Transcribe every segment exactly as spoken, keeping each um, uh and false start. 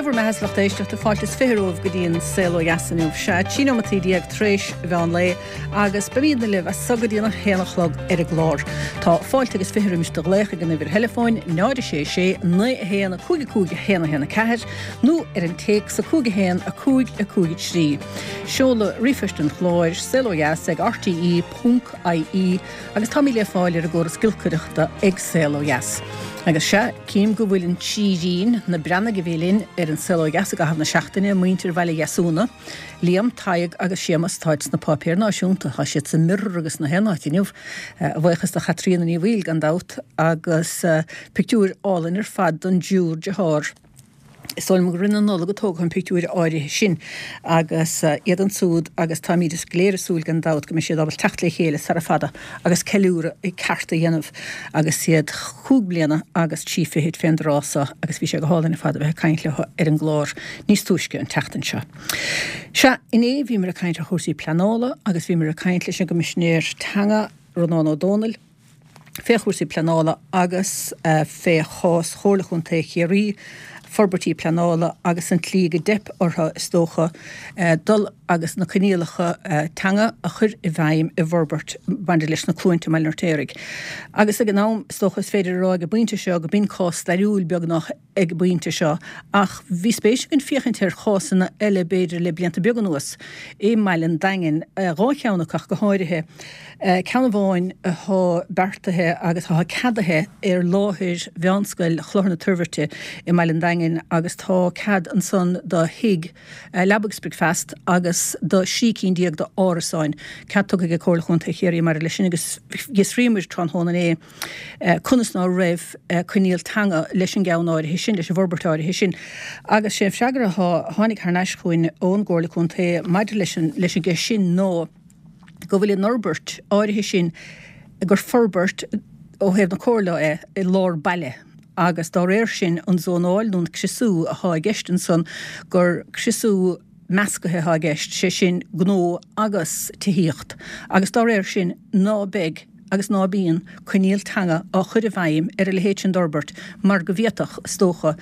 bhur mbeatha, a lucht éisteachta, fáilte is fiche romhaibh go dtí an Saol Ó Dheas inniu. Sea, trí nóimeataí déag tar éis mheán lae agus beimidne libh as so go dtí an haon a chlog ar an gclár. Tá fáilte agus fiche roimis do ghlaoch ag an uimhir theileafóin náid a sé sé naoi a haon a cúig a cúig a haon a haon a ceathair nó ar an téacs a cúig a haon a cúig a cúig a trí. Seoladh ríomhphoist an chláir, saol ó dheas ag R T E ponc I E, agus táimid le fáil ar an gcóras giolcaireachta ag Saol Ó Dheas. Agus sea, cím go bhfuil an trírín, na Breathnaigh a bhí linn ar an Saol Ó Dheas i gcaitheamh na seachtaine, muintir Bhaile Dheasúna, Liam, Tadhg agus Séamus, táid sna páipéir náisiúnta, tá siad sa Mirror agus na haon áit inniu, a bhuíochas do Chaitríona Ní Bhaoill gan dabht, agus pictiúir álainn ar fad don dtriúr dearthár. Is dóigh liom gur roimh an Nollaig a tógadh an pictiúir áirithe sin agus iad ansúd, agus táimid go léir ag súil gan dabht go mbeidh siad ábalta teacht le chéile sara fada agus ceiliúradh ceart a dhéanamh agus iad cúig bliana agus trí fichid fén dtráth so, agus bhí sé go hálainn ar fad a bheith ag caint leo ar an gclár níos túisce an tseachtain seo. Sea, inné bhíomar ag caint ar chúrsaí pleanála agus bhíomar ag caint leis an gCoimisinéir Teanga, Rónán Ó Domhnaill, fé chúrsaí pleanála agus fé chás Chomhairle Chontae Chiarraí, forbairtí pleanála agus an tslí go dteip orthu, is dócha, dul agus na coinníollacha teanga a chur i bhfeidhm i bhforbairt maidir leis na Cluainte i mBaile an Fheirtéaraigh. Agus ag an am, is dócha, is féidir a rá ag an bpointe seo go b'in cás stairiúil beagnach ag an bpointe seo, ach bhí spéis againn féachaint ar chásanna eile b'fhéidir le blianta beaga anuas i mBaile an Daingin, dhá cheann acu ach go háirithe. Ceann amháin atá beartaithe agus atá ceadaithe ar láthair Mheánscoil Chlochar na Toirbhirte i mBaile an Daingin, agus tá cead ansan do thigh leaba agus bricfeasta agus do thrí cinn déag d'árasáin. Cead tugtha ag Comhairle Chontae Chiarraí maidir leis sin, agus d'fhiosraíomar tráthnóna inné conas ná raibh coinníoll teanga leis an gceann áirithe sin, leis an bhforbairt áirithe sin. Agus sé an freagra a tháinig thar n-ais chugainn ón gComhairle Contae maidir leis an leis an gceist sin ná go bhfuil an fhorbairt áirithe sin, gur forbairt ó thaobh na comhairle é i lár baile, agus dá réir sin an zónáil nó an criosú atá i gceist ansan, gur criosú meascaithe atá i gceist, sé sin gnó agus tithíocht, agus dá réir sin ná beidh agus ná bíonn coinníoll teanga á chur i bhfeidhm ar a leithéid sin d'fhorbairt, mar go bhféadfadh, is dócha,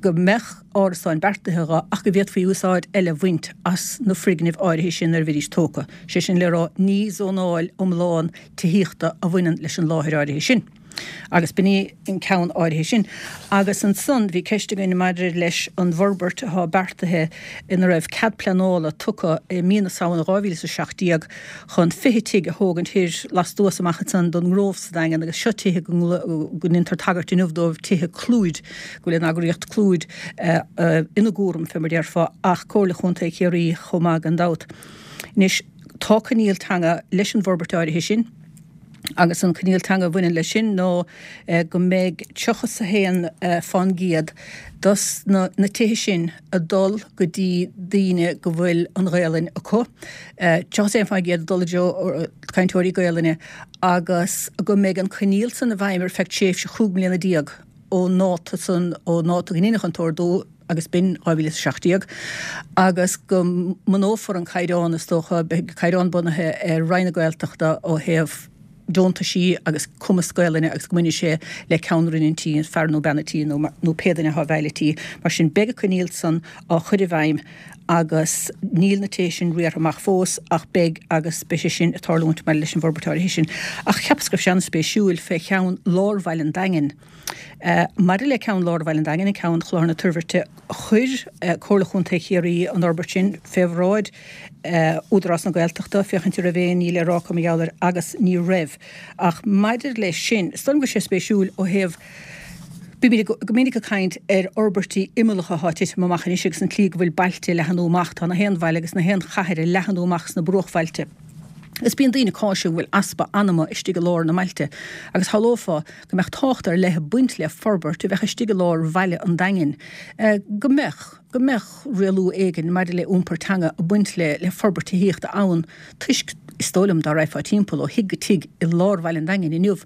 go mbeadh árasáin beartaithe dho ach go bhféadfaí úsáid eile a bhaint as na foirgnimh áirithe sin nuair a bheidís tógtha. Sé sin le rá, ní zónáil iomlán tithíochta a bhaineann leis an láthair áirithe sin. Agus b'in í an ceann áirithe sin. Agus ansan bhí ceist againn maidir leis an bhforbairt atá beartaithe ina raibh cead pleanála tugtha i mí na Samhna dhá mhíle is a seacht déag chun fiche tigh a thógaint thoir lastuas amach ansan don nGrove sa Daingean, agus seo tithe go ndéantar tagairt inniu dóibh, tithe Clúid, go bhfuil an eagraíocht Clúid ina gcúram, fé mar déarfá, ach Comhairle Chontae Chiarraí chomh maith gan dabht. Anois tá coinníoll teanga leis an bhforbairt áirithe sin, agus an coinníoll teanga a bhaineann leis sin ná go mbeidh tríocha is a haon fán gcéad dos na na tithe sin ag dul go dtí daoine go bhfuil an Ghaelainn acu, tríocha is a haon fán gcéad ag dul i dtreo cainteoirí Gaelainne, agus go mbeidh an coinníoll san i bhfeidhm ar feadh tréimhse chúig mbliana déag ón ndáta san, ón ndáta go ndéanfadh an t-ordú, agus b'in dhá mhíle is a seacht déag, agus go mbunófar an caighdeán, is dócha, beidh caighdeán bunaithe ar Roinn na Gaeltachta ó thaobh deontaisí agus cumas Gaelainne, agus go mbainfidh sé le ceann roinn an tí, fear nó bean a tí nó nó pé duine atá i bhfeighil an tí. Mar sin, beidh an coinníoll san á chur i bhfeidhm agus níl na tithe sin riartha amach fós, ach beidh, agus beidh sé sin ag tarlúint maidir leis an bhforbairt áirithe sin. Ach cheapas go raibh sé an-spéisiúil fé cheann lár Bhaile an Daingin. Maidir le ceann lár Bhaile an Daingin, an ceann Chlochar na Toirbhirte, chuir Comhairle Chontae Chiarraí an fhorbairt sin fé bhráid Údarás na Gaeltachta féachaint an raibh aon ní le rá acu mar gheall air, agus ní raibh. Ach maidir leis sin, is dóigh liom go bhfuil sé spéisiúil ó thaobh, bímid go minic ag caint ar fhorbairtí imeallacha atá ag titim amach anois agus an tslí go bhfuil bailte ag leathnú amach, tá na haon bhaile agus na haon chathair ag leathnú amach sna bruachbhailte. Is bíonn daoine ag cáiseamh go bhfuil easpa anama istigh i lár na mbailte, agus shamhlófá go mbeadh tábhacht ar leith ag baint le forbairt a bheadh istigh i lár bhaile an Daingin, go mbeadh, go mbeadh rialú éigin maidir le iompar teanga ag baint le, le forbairt tithíochta ann, toisc, is dóigh liom, dá raghfá timpeall ó thigh go tigh i lár bhaile an Daingin inniu,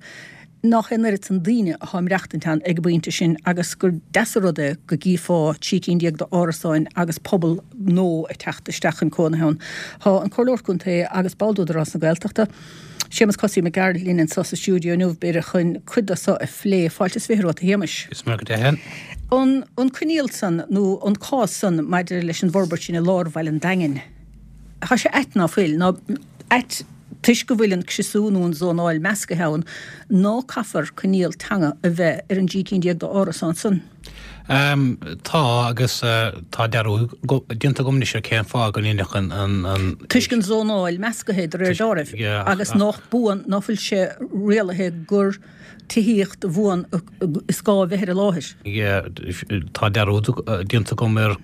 nach é an oiread san daoine atá ag maireachtaint ann ag an bpointe sin, agus gur deas an rud é go gcífeá trí cinn déag d'árasáin agus pobal nua ag teacht isteach chun cónaithe ann. Tá an Comhairleoir Contae agus ball d'Údarás na Gaeltachta, Séamus Cosaí Mac Gearailt linn anso sa stiúideo inniu, b'fhéidir chun cuid de so a phlé. Fáilte is fiche romhat, a Shéamais. Is maith go deimhin. An an coinníoll san nó an cás san maidir leis an bhforbairt sin i lár bhaile an Daingin, tá sé ait ná fuil, ná ait toisc go bhfuil an criosú nó an zónáil meascaithe ann, ná caithfear coinníoll teanga a bheith ar an dtrí cinn déag d'árasán san. Tá, agus tá dearúd déanta agam anois ar cén fáth go ndéanfadh an, an, an. Toisc an zónáil meascaithe de réir dealraimh, agus nach buan, ná fuil sé rialaithe gur tithíocht bhuan is gá a bheith ar an láthair. Yeah, tá dearúd déanta agam ar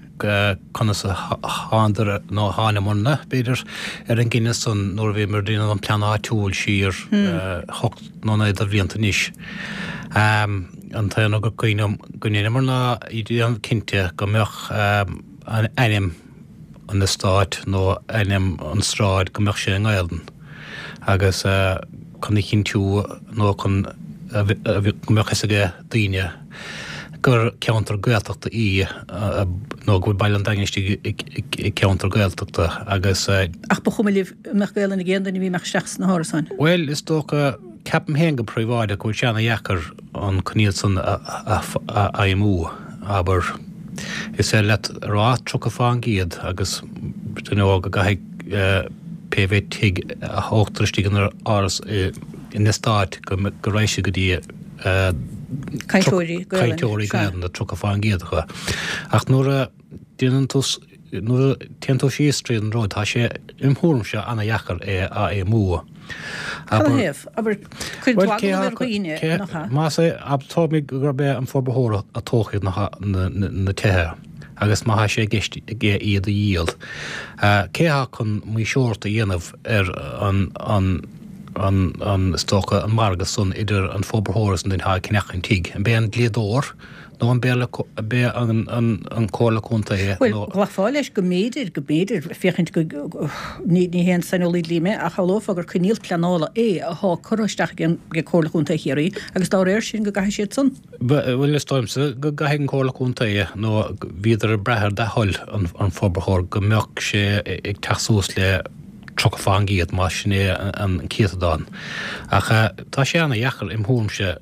conas a thánadar, nó a thángamarna, b'fhéidir, ar an gcinneadh san nuair a bhíomar ag déanamh an plean áitiúil siar hocht nó naoi de bhlianta anois. An t-aon rud gur cuimhin liom go ndeineamar ná déanamh cinnte go mbeadh an ainm an eastáit nó ainm an sráid go mbeadh sé i nGaelainn agus chun a chinntiú nó chun go mbeadh fhios ag daoine gur ceantar Gaeltachta í nó go bhfuil Baile an Daingin istigh i gceantar Gaeltachta agus. Ach ba chuma libh an mbeadh Gaelainn ag aon duine a bhí ag imeacht isteach sna hárasáin? Bhuel, is dócha, ceapaim féin go príobháideach go bhfuil sé ana-dheacair an coinníoll san a fheidhmiú, abair. Is féidir leat a rá tríocha fán gcéad agus you know go gcaithfidh pé mhéad tigh a thógtar istigh in áras in eastát go raghaidh sé go dtí cainteoirí cainteoirí Gaelainne tríocha fán gcéad acu. Ach nuair a déanann tú nuair a téann tú síos tríd an rud tá sé im thuairimse ana-dheacair é a fheidhmiú. Cad ina thaobh? Abair, cuireann tú agallamh ar dhaoine, nach ea? Más é, tógfaimid gurb é an forbarthóir a tógfaidh na tithe agus má thá sé i gceist aige iad a dhíol, cé athá chun maoirseoireacht a dhéanamh ar an, an, an, an, is dócha, an margadh san idir an forbarthóir is an duine athá ag ceannach an tigh? An b'é an dlíodóir nó an b'é an Comhairle Contae Bhuel, nó. ghlacfá leis go mb'fhéidir, go mb'fhéidir, féachaint go, ní, ní haon saineolaí dlí mé, ach shamhlófá gur coinníoll pleanála é athá curtha isteach ag an, ag Comhairle Chontae Chiarraí agus dá réir sin go gcaithfidh siad san. Bhuel, is dóigh liomsa go gcaithfidh an Comhairle Contae nó bhíodar ag brath ar dea-thoil an, an forbarthóir go mbeadh sé ag teacht suas le tríocha fán gcéad más sin é an céatadán. Ach tá sé ana-dheacair im thuairimse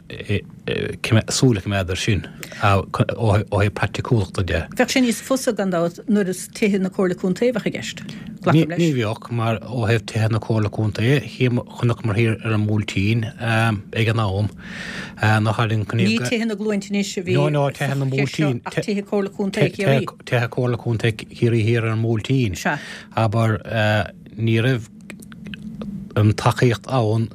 súil a choimeád air sin ó thaobh praiticiúlachta de. Bheadh sé níos fusa, gan dabht, nuair is tithe na Comhairle Contae a bheadh i gceist. Glacaim leis. Ní bheadh, mar ó thaobh tithe na Comhairle Contae, chonaiceamar thiar ar an mBuailtín ag an am, nach tháinig an coinníoll. Ní tithe na gCluainte anois a bhí sa cheist seo ach tithe Comhairle Contae Chiarraí. Tithe Comhairle Contae Chiarraí thiar ar an mBuailtín. Sea. Abair, ní raibh an tacaíocht ann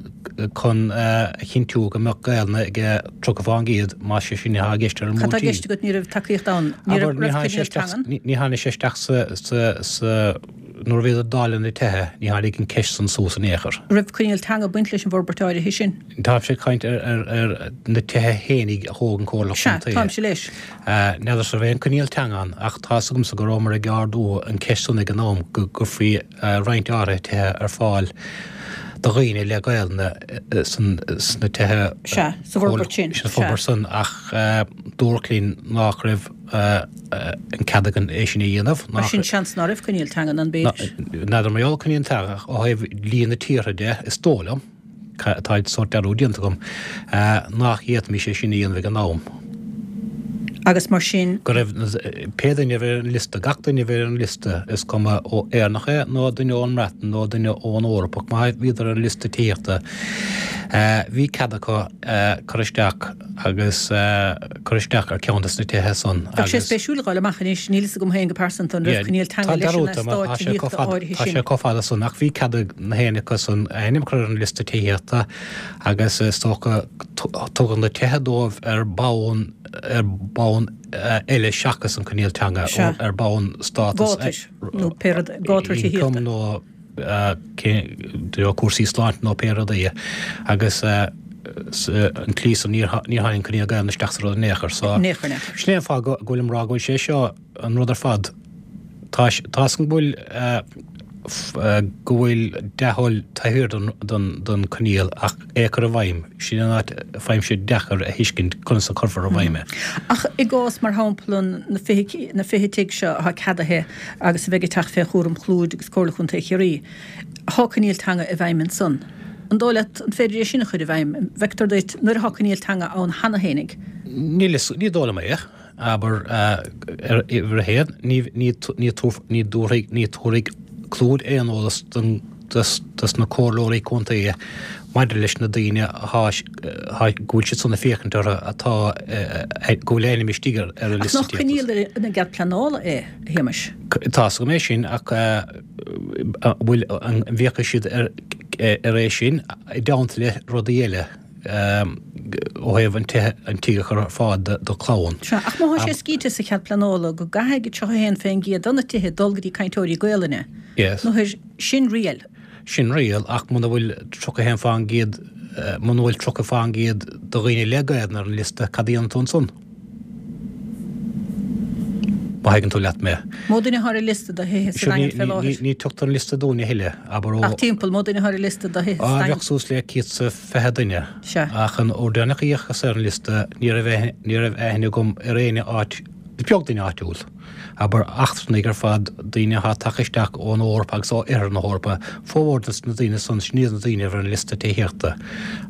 chun a chinntiú go mbeadh Gaelainn ag tríocha fán gcéad, más é sin atá i gceist ar an Cad tá i gceist agat ní raibh tacaíocht ann? Ní raibh coinníoll teangan? Ní tháinig sé isteach sa, nuair a bhíodar ag dáileadh na tithe, ní tháinig an ceist san suas in aon chor. Raibh coinníoll teanga ag baint leis an bhforbairt áirithe sin? Táimse ag caint ar na tithe fhéinig a thóg an Comhairle Contae. Sea, táimse leis. N'fheadar an raibh aon coinníoll teanga ann ach tá 'fhios agamsa go rabhamar ag ardú an ceist san ag an am go gcuirfí roinnt áirithe tithe ar fáil do dhaoine le Gaelainn sna tithe. Sea, sa bhforbairt sin. Sa bhforbairt san ach dúradh linn nach raibh an cead againn é sin a dhéanamh. Mar sin seans ná raibh coinníoll teanga ann b'fhéidir. N'fheadar mar gheall ar coinníoll teanga ach ó thaobh dhlí na tíortha de is dóigh liom. Tá sórt dearúd déanta agam nach bhféadfaimis é sin a dhéanamh ag an am. Agus mar sin. Go raibh pé duine a bhí ar an liosta, gach duine a bhí ar an liosta, is cuma ó Éireannach é nó duine ón mBreatain nó duine ón Eoraip, ach má bhíodar ar an liosta tithíochta, bhí cead acu cur isteach agus cur isteach ar ceann de na tithe san. Bheadh sé spéisiúil a dh'fháil amach anois, níl fhios agam féin go pearsanta an raibh coinníoll teanga leis an eastát tithíochta áirithe sin. Tá sé chomh fada san ach bhí cead ag na héinne acu san a ainm a chur ar an liosta tithíochta agus is dócha tugadh na tithe dóibh ar bonn ar bonn eile seachas an coinníoll teanga, ar bonn stádas gátair nó pé rud gátar tithíochta. nó cúrsaí sláinte nó pé rud é agus an tslí san níor tháinig an coinníoll Gaelainne isteach sa rud in aon chor. So In aon chor, in aon chor. Sin é an fáth go bhfuilim ag rá go bhfuil sé seo an rud ar fad. Tá a fhios agam go bhfuil go bhfuil dea-thoil taobh thiar den choinníoll ach é a chur i bhfeidhm, sin an áit a faighimse deacair a thuiscint conas a cuirfear i bhfeidhm é. Ach i gcás, mar shampla, na fiche na fiche tigh seo atá ceadaithe agus a bheidh ag teacht fé chúram Clúid agus Comhairle Chontae Chiarraí, thá coinníoll teanga i bhfeidhm ansan. An dóigh leat an féidir é sin a chur i bhfeidhm? An bhfeictear duit nuair atá coinníoll teanga ann cheana fhéinig? Níl fhios, ní dóigh liom é. Abair, ar uimhir a haon, ní, ní, ní ní dtabharfaidh, ní tabharfaidh Clúid aon eolas don, dos, dos na comhairleoirí contae maidir leis na daoine atá, atá, go bhfuil siad san ag féachaint orthu atá, go bhfuil a ainm istigh ar, ar an Ach liosta nach coinníoll ar an gcead pleanála é, a Shéamais? Tá fhios agam é sin ach an bhfuil, an bhféachfaidh siad ar, ar é sin i dteannta le rudaí eile? ó thaobh an tithe, an tigh a chur ar fáil do chlann. Sea, ach má thá sé scríte sa chead pleanála go gcaithfidh tríocha a haon fén gcéad de na tithe dul go dtí cainteoirí Gaelainne, Yes. nó sin riail. Sin riail, ach muna bhfuil tríocha a haon fán gcéad, muna bhfuil tríocha fán gcéad de dhaoine le Gaelainn ar an liosta, cad a dhéanann tú ansan? Má thuigeann tú leat mé. Mó duine atá ar an liosta do thithe sa Daingean fé láthair? Ní tugtar an liosta dúinn a thuilleadh, abair ó. Ach timpeall, mó duine atá ar an liosta do thithe sa Daingean? Bheadh suas le céad is fiche duine. Sea. Ach an uair deireanach a d'fhéachas ar an liosta, ní raibh ní raibh aithne agam ar éinne áit, is beag duine áitiúil. Abair eachtrannaigh ar fad, daoine atá tagtha isteach ón Eoraip agus ó Oirthear na hEorpa, formhór de na daoine san, sin iad na daoine a bhí ar an liosta tithíochta.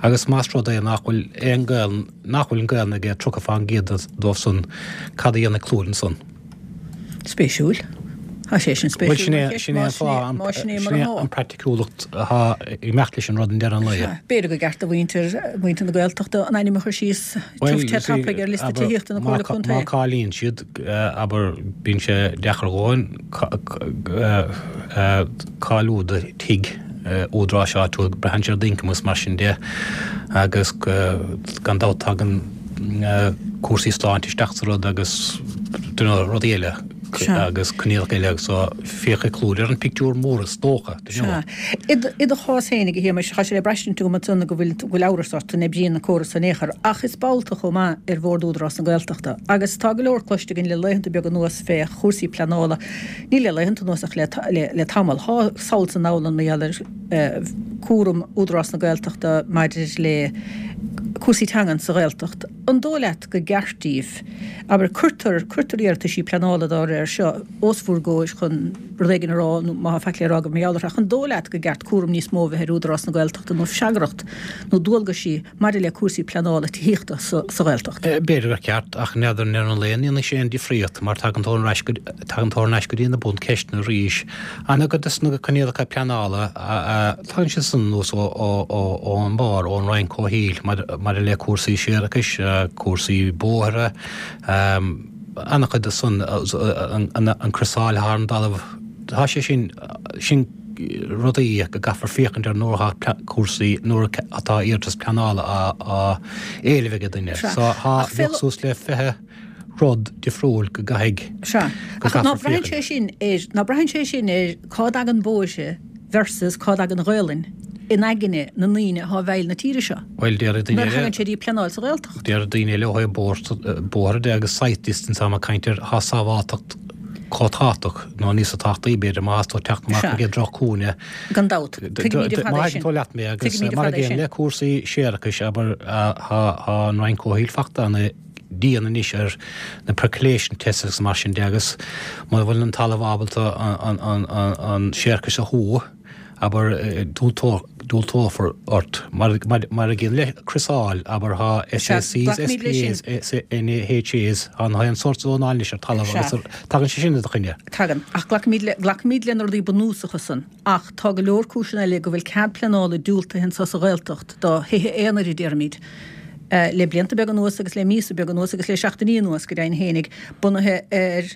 Agus más rud é nach bhfuil aon Gael, nach bhfuil an Gaelainn ag tríocha fán gcéad dóibh san, cad a dhéanfaidh Clúid ansan? Spéisiúil. Tá sé sin Bhuel, spéisiúil sin é, mar cheist, sin é an más sin é, fáth, an, más sin é sin mar é atá. an praiticiúlacht atá ag imeacht leis an rud i ndeireadh an lae. Sea, b'fhéidir gur ceart do mhuintir, muintir na Gaeltachta an ainm a chur síos Bhuel, tiubh te you see, tapaidh ar liosta abair, tithíochta na má Comhairle má Contae. cáilíonn siad, abair, bíonn sé deacair a dhóthain cáiliú do thigh údaráis áitiúil, braitheann sé ar d'ioncam agus mar sin de, agus gan dabht tagann cúrsaí sláinte isteach sa rud agus rudaí eile agus coinníollacha eile agus so féachfaidh Clúid ar an pictiúr mór is dócha. Sea. I do chás féinig, a Shéamais, tá sé le braistint agam ansan go bhfuil go bhfuil amhras ort an oibríonn an córas in aon chor, ach is ball tú chomh maith ar Bhord Údarás na Gaeltachta agus tá go leor cloiste againn le laethanta beaga anuas fé chúrsaí pleanála, ní le laethanta anuas ach le le tamall. Thá sall is anall ann mar gheall ar cúram Údarás na Gaeltachta maidir le cúrsaí teangan sa Ghaeltacht. An dóigh leat go gceart daoibh, abair, cuirtear, cuirtear iarrataisí pleanála dá réir seo os bhur gcomhair chun rud éigin a rá nó má tá faic le rá agaibh mar gheall orthu, ach an dóigh leat go gceart cúram níos mó a bheith ar Údarás na Gaeltachta nó freagracht nó dualgaisí maidir le cúrsaí pleanála tithíochta sa, sa Ghaeltacht? B'fhéidir gur ceart, ach n'fheadar i ndeireadh an lae an ndéanfaidh sé aon difríocht mar tagann tú ar ais go, tagann tú ar ais go dtí na buncheisteanna arís. An-chuid de na coinníollacha pleanála a, a, tagann siad san anuas ó, ó, ó, ón mbarr, ón Roinn Comhshaoil maidir le cúrsaí séarachais, cúrsaí bóithre, an-chuid de san, an criosáil thar an dtalamh, tá sé sin, sin rudaí go gcaithfear féachaint ar nuair atá cúrsaí, nuair atá iarratas pleanála á, á éileamh ag duine. So tá, bheadh suas le fiche rud difriúil go gcaithfidh, Sea. go Ach ná gcaithfear braitheann féachaint. sé sin ar, ná braitheann sé sin ar cá dtagann bóithre versus cá dtagann Gaolainn in aigne na ndaoine atá i bhfeighil na tíre seo. Bhuel, déarfaidh daoine Nuair a eile, thagann sé dtí pleanáil sa Ghaeltacht. déarfaidh daoine eile ó thaobh bóithre de agus sight distance tá mé ag caint ar, thá sábháilteacht chomh tábhachtach nó níosa tábhachtaí b'fhéidir má thá tú ag teacht amach Sea. ag an droch-chúinne. Gan dabht. Tuigimid ar Má fad é thuigeann sin. tú leat mé agus Tuigimid ar mar fad é a gcéanna sin. le cúrsaí séarachais, abair, thá an Roinn Comhshaoil fachta ana dian anois ar na percolation tests agus mar sin de agus mura bhfuil an talamh ábalta an séarachas a shú, abair, diúltófar ort. Mar mar a gcéanna le criosáil, abair, thá Sea, SACs, glacaimid leis sin. SPAs, NHAs, thá an sórt zónáil anois ar talamh Sea. agus tagann sé sin i do choinne. Tagann. Ach glacaimid le, glacaimid le na rudaí bunúsacha san. Ach tá go leor cúiseanna eile go bhfuil cead pleanála diúltaithe anso sa Ghaeltacht do thithe aonair, a déarfaimid, le blianta beaga anuas agus le míosa beaga anuas agus le seachtainí anuas go deimhin fhéinig, bunaithe ar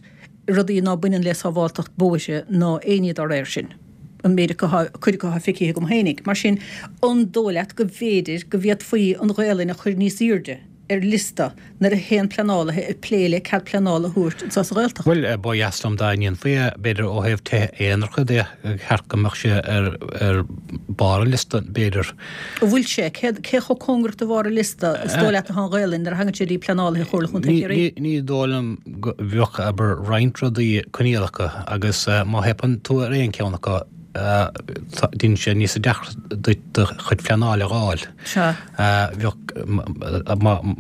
rudaí ná baineann le sábháltacht bóithre ná aon ní dá réir sin, an méid acu atá, cuid acu atá feicthe agam fhéinig. Mar sin, an dóigh leat go mb'fhéidir go bhféadfaí an Ghaelainn a chur níos airde ar liosta nuair a théann pleanálaithe ag plé le cead pleanála a thabhairt anseo sa Ghaeltacht? Bhuel, ba dheas liom dá ndéanfaí é, b'fhéidir ó thaobh tithe aonaracha de, gur cheart go mbeadh sé ar ar barr an liosta, b'fhéidir. An bhfuil sé? Cé cé chomh cóngarach do bharr an liosta is dóigh leat atá an Ghaelainn nuair a thagann sé dtí pleanálaithe Chomhairle Chontae Ní Chiarraí? ní ní dóigh liom go bheadh, abair, roinnt rudaí coinníollacha agus má theipeann tú ar aon cheann acu, Déanann sé níos deacra duit do chuid pleanála a fháil. Sea. Bheadh,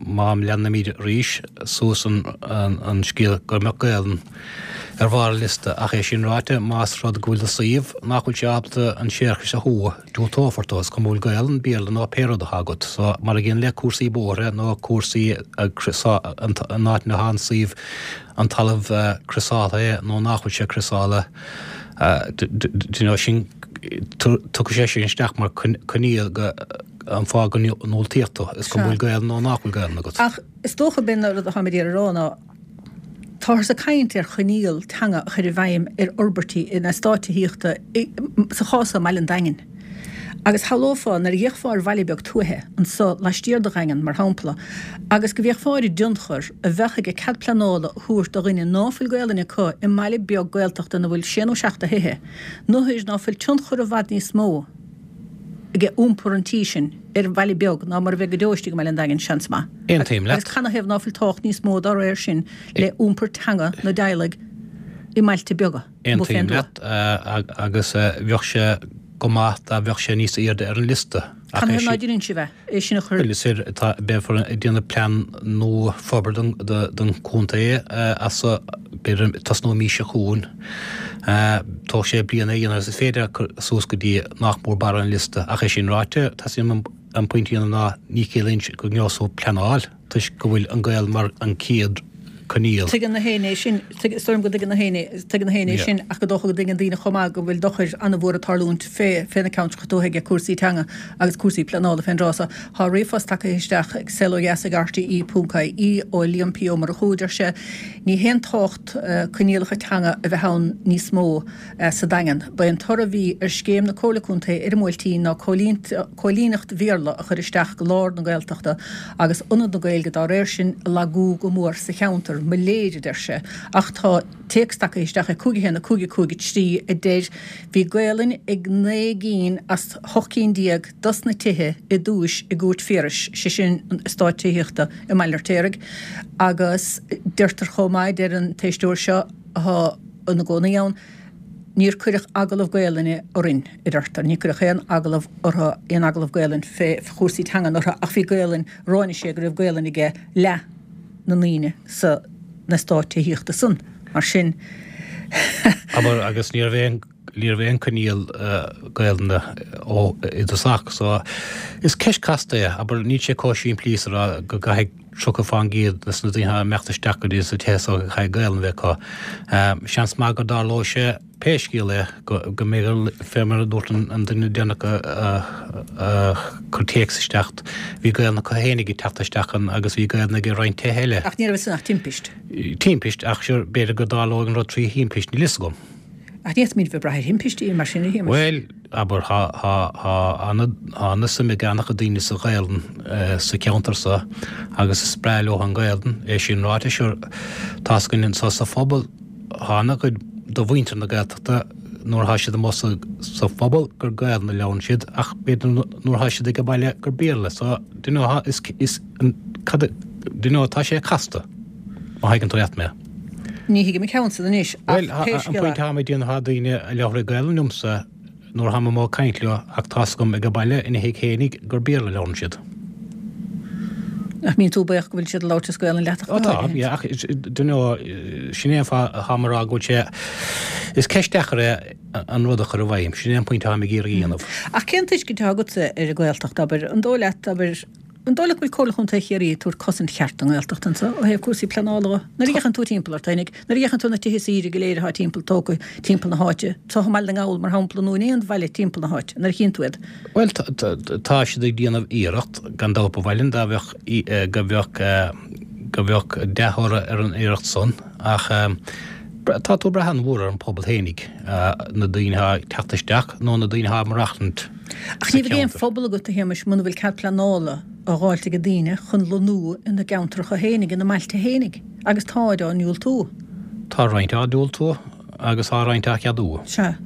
má leanaimid arís suas an scéal go mbeadh Gaelainn ar bharr an liosta, ach é sin ráite, más rud go bhfuil do suíomh nach bhfuil sé ábalta an séarachas a shú, diúltófar dó, is cuma an bhfuil Gaelainn, Béarla nó pé rud atá agat. So, mar a gcéanna le cúrsaí bóithre nó cúrsaí an áit ina atá an suíomh, an talamh criosáltha é nó nach bhfuil sé criosáltha, do you know, sin, tugadh sé sin isteach mar coinníoll go, an fáth go ndiúltaíodh tú, is cuma an bhfuil Gaelainn nó nach bhfuil Gaelainn agat. Ach is dócha b'in an rud atáim ag iarraidh a rá ná, táthar ag caint ar choinníoll teanga a chur i bhfeidhm ar fhorbairtí in eastáit tithíochta, sa chás seo i mBaile an Daingin. Agus shamhlófá, nuair a d'fhéachfá ar bhaile beag tuaithe, anso laistiar de Dhaingean, mar shampla, agus go bhféachfá ar an dtionchar a bheadh aige cead pleanála a thabhairt do dhuine ná fuil Gaolainn acu i mbaile beag Gaeltachta ina bhfuil sé nó seacht de thithe, nuair ná fuil tionchar i bhfad níos mó aige iompar an tí sin ar an bhaile beag ná mar a bheidh go deo istigh i mBaile an Daingin, seans maith. Aontaím leat. Agus canathaobh ná fuil tábhacht níos mó dá réir sin le iompar teanga na dteaghlaigh i mbailte beaga? Aontaím leat, agus bheadh sé. go maith dá mbeadh sé níos airde ar an liosta. Ach é sin. Canathaobh ná sibh é? É sin a chur. Bhuel, is ar, tá, beifear ag déanamh plean nua forbartha don, don chontae as so, b'fhéidir tosnú an mhí seo chugainn. Tógfaidh sé bliain é a dhéanamh agus is féidir é a chur suas go dtí nach mór barr an liosta. Ach é sin ráite, teastaíonn uaim an pointe a dhéanamh ná ní chiallaíonn sé go ngeobhaidh tú pleanáil toisc go bhfuil an Ghaelainn mar an chéad coinníoll. Tuigeann gach éinne é sin, is dóigh liom go dtuigeann gach éinne, tuigeann gach éinne é sin ach gur dócha go dtuigeann daoine chomh maith go bhfuil dochar an-mhór ag tarlúint fé, fé na ceantracha tuaithe aige cúrsaí teanga agus cúrsaí pleanála fén dtráth so. Tá ríomhphost tagtha isteach ag saolodheas ag rte ponc ie ó Liam P Ó Murchú, deir sé, Ní haon tábhacht coinníollacha teanga a bheith ann níos mó sa Daingean. Ba é an toradh a bhí ar scéim na Comhairle Contae ar an mBuailtín ná cóilíneacht Bhéarla a chur isteach go lár na Gaeltachta agus ionad na Gaeilge dá réir sin a lagú go mór sa cheantar. Mo léir, a deir sé. Ach tá téacs tagtha isteach ag cúig a haon a cúig a cúig a trí a deir, Bhí Gaolainn ag naoi gcinn as hocht gcinn déag dos na tithe i dtúis i gCúirt Phiarais, sé sin an eastát tithíochta i mBaile an Fheirtéaraigh, agus deirtear chomh maith, deir an t-éisteoir seo atá ina gcónaí ann, Níor cuireadh agallamh Gaolainne orainn, a deirtear. Ní cuireadh aon agallamh orthu, aon agallamh Gaolainn fé chúrsaí teangan orthu ach bhí Gaolainn, ráinig sé go raibh Gaolainn aige leath na ndaoine sa n-eastát tithíochta san. Mar sin. Abair, agus ní raibh aon, ní raibh aon coinníoll Gaolainne ó i dtosach. So, is ceist casta é. Abair, níl sé chomh simplí is a rá go gcaithfidh tríocha fán gcéad des na daoine atá ag imeacht isteach go dtí sa tithe so go gcaithfidh Gaolainn a bheith acu. Seans maith go dtarlóidh sé pé scéal é go go mbeidh fé mar a dúirt an duine deireanach a chuir téacs isteach, bhí Gaolainn acu fhéinig ag teacht isteach ann agus bhí Gaolainn ag roinnt tithe eile. Ach ní raibh san ach timpist. Timpist, ach sure, b'fhéidir go dtarlóidh an rud trí thimpist, níl fhios agam. Ach ní fhéadfaimid bheith ag brath ar thimpistí mar sin, a Shéamais. Bhuel, abair, thá, thá, thá ana, thá ana-suim ag ana-chuid daoine sa Ghaelainn sa cheantar so agus is breá leo an Ghaelainn, é sin ráite, sure, tá's againn anso sa phobal, thá ana-chuid de mhuintir na Gaeltachta nuair athá siad amuigh sa, sa phobal gur Gaelainn a labhrann siad ach b'fhéidir nuair athá siad ag baile gur Béarla, so, do you know, thá, is, is, an, cad a, do you know, tá sé casta, má thuigeann tú leat mé. Ní thuigim an ceann san anois, ach Bhuel, pé an scéal é. pointe atáim ag déanamh, tá daoine a labhraíonn Gaelainn liomsa nuair atáim amuigh ag caint leo ach tá's agam ag baile ina thigh fhéinig gur Béarla a labhrann siad. Nach mbíonn tú buíoch go bhfuil siad ag labhairt as Gaelainn leat ach Ó go tá, háirithe? yeah, ach do you know, sin é an fáth atáim ag rá go bhfuil sé, is ceist deacair é an rud a chur i bhfeidhm, sin é an pointe atáim ag iarraidh a dhéanamh. Ach cén tuiscint atá agatsa ar an Ghaeltacht, abair? An dóigh leat, abair, An dóigh leat go bhfuil Comhairle Chontae Chiarraí ag tabhairt cosaint cheart don nGaeltacht anseo ó thaobh cúrsaí pleanála de? Nuair a fhéachann tú timpeall ort fhéinig, nuair a fhéachann tú ar na tithe saoire go léir atá timpeall tógtha timpeall na háite, anseo i mBaile na nGall mar shampla nó in aon bhaile timpeall na háite, nuair a chíonn tú iad. Bhuel, tá siad ag déanamh iarracht, gan dabht ba mhaith linn dá mbeadh, go mbeadh, go mbeadh dea-thoradh ar an iarracht san ach tá tú ag brath an-mhór ar an pobal fhéinig, na daoine atá ag teacht isteach nó na daoine atá ag maireachtaint Ach sa ní bheidh aon cheantar. phobal agat, a Shéamais, muna bhfuil cead pleanála á dh'fháilt ag daoine chun lonnú ina gceantracha fhéinig, ina mbailte fhéinig, agus táid á ndiúltú. Tá roinnt á ndiúltú agus tá roinnt á cheadú. Sea.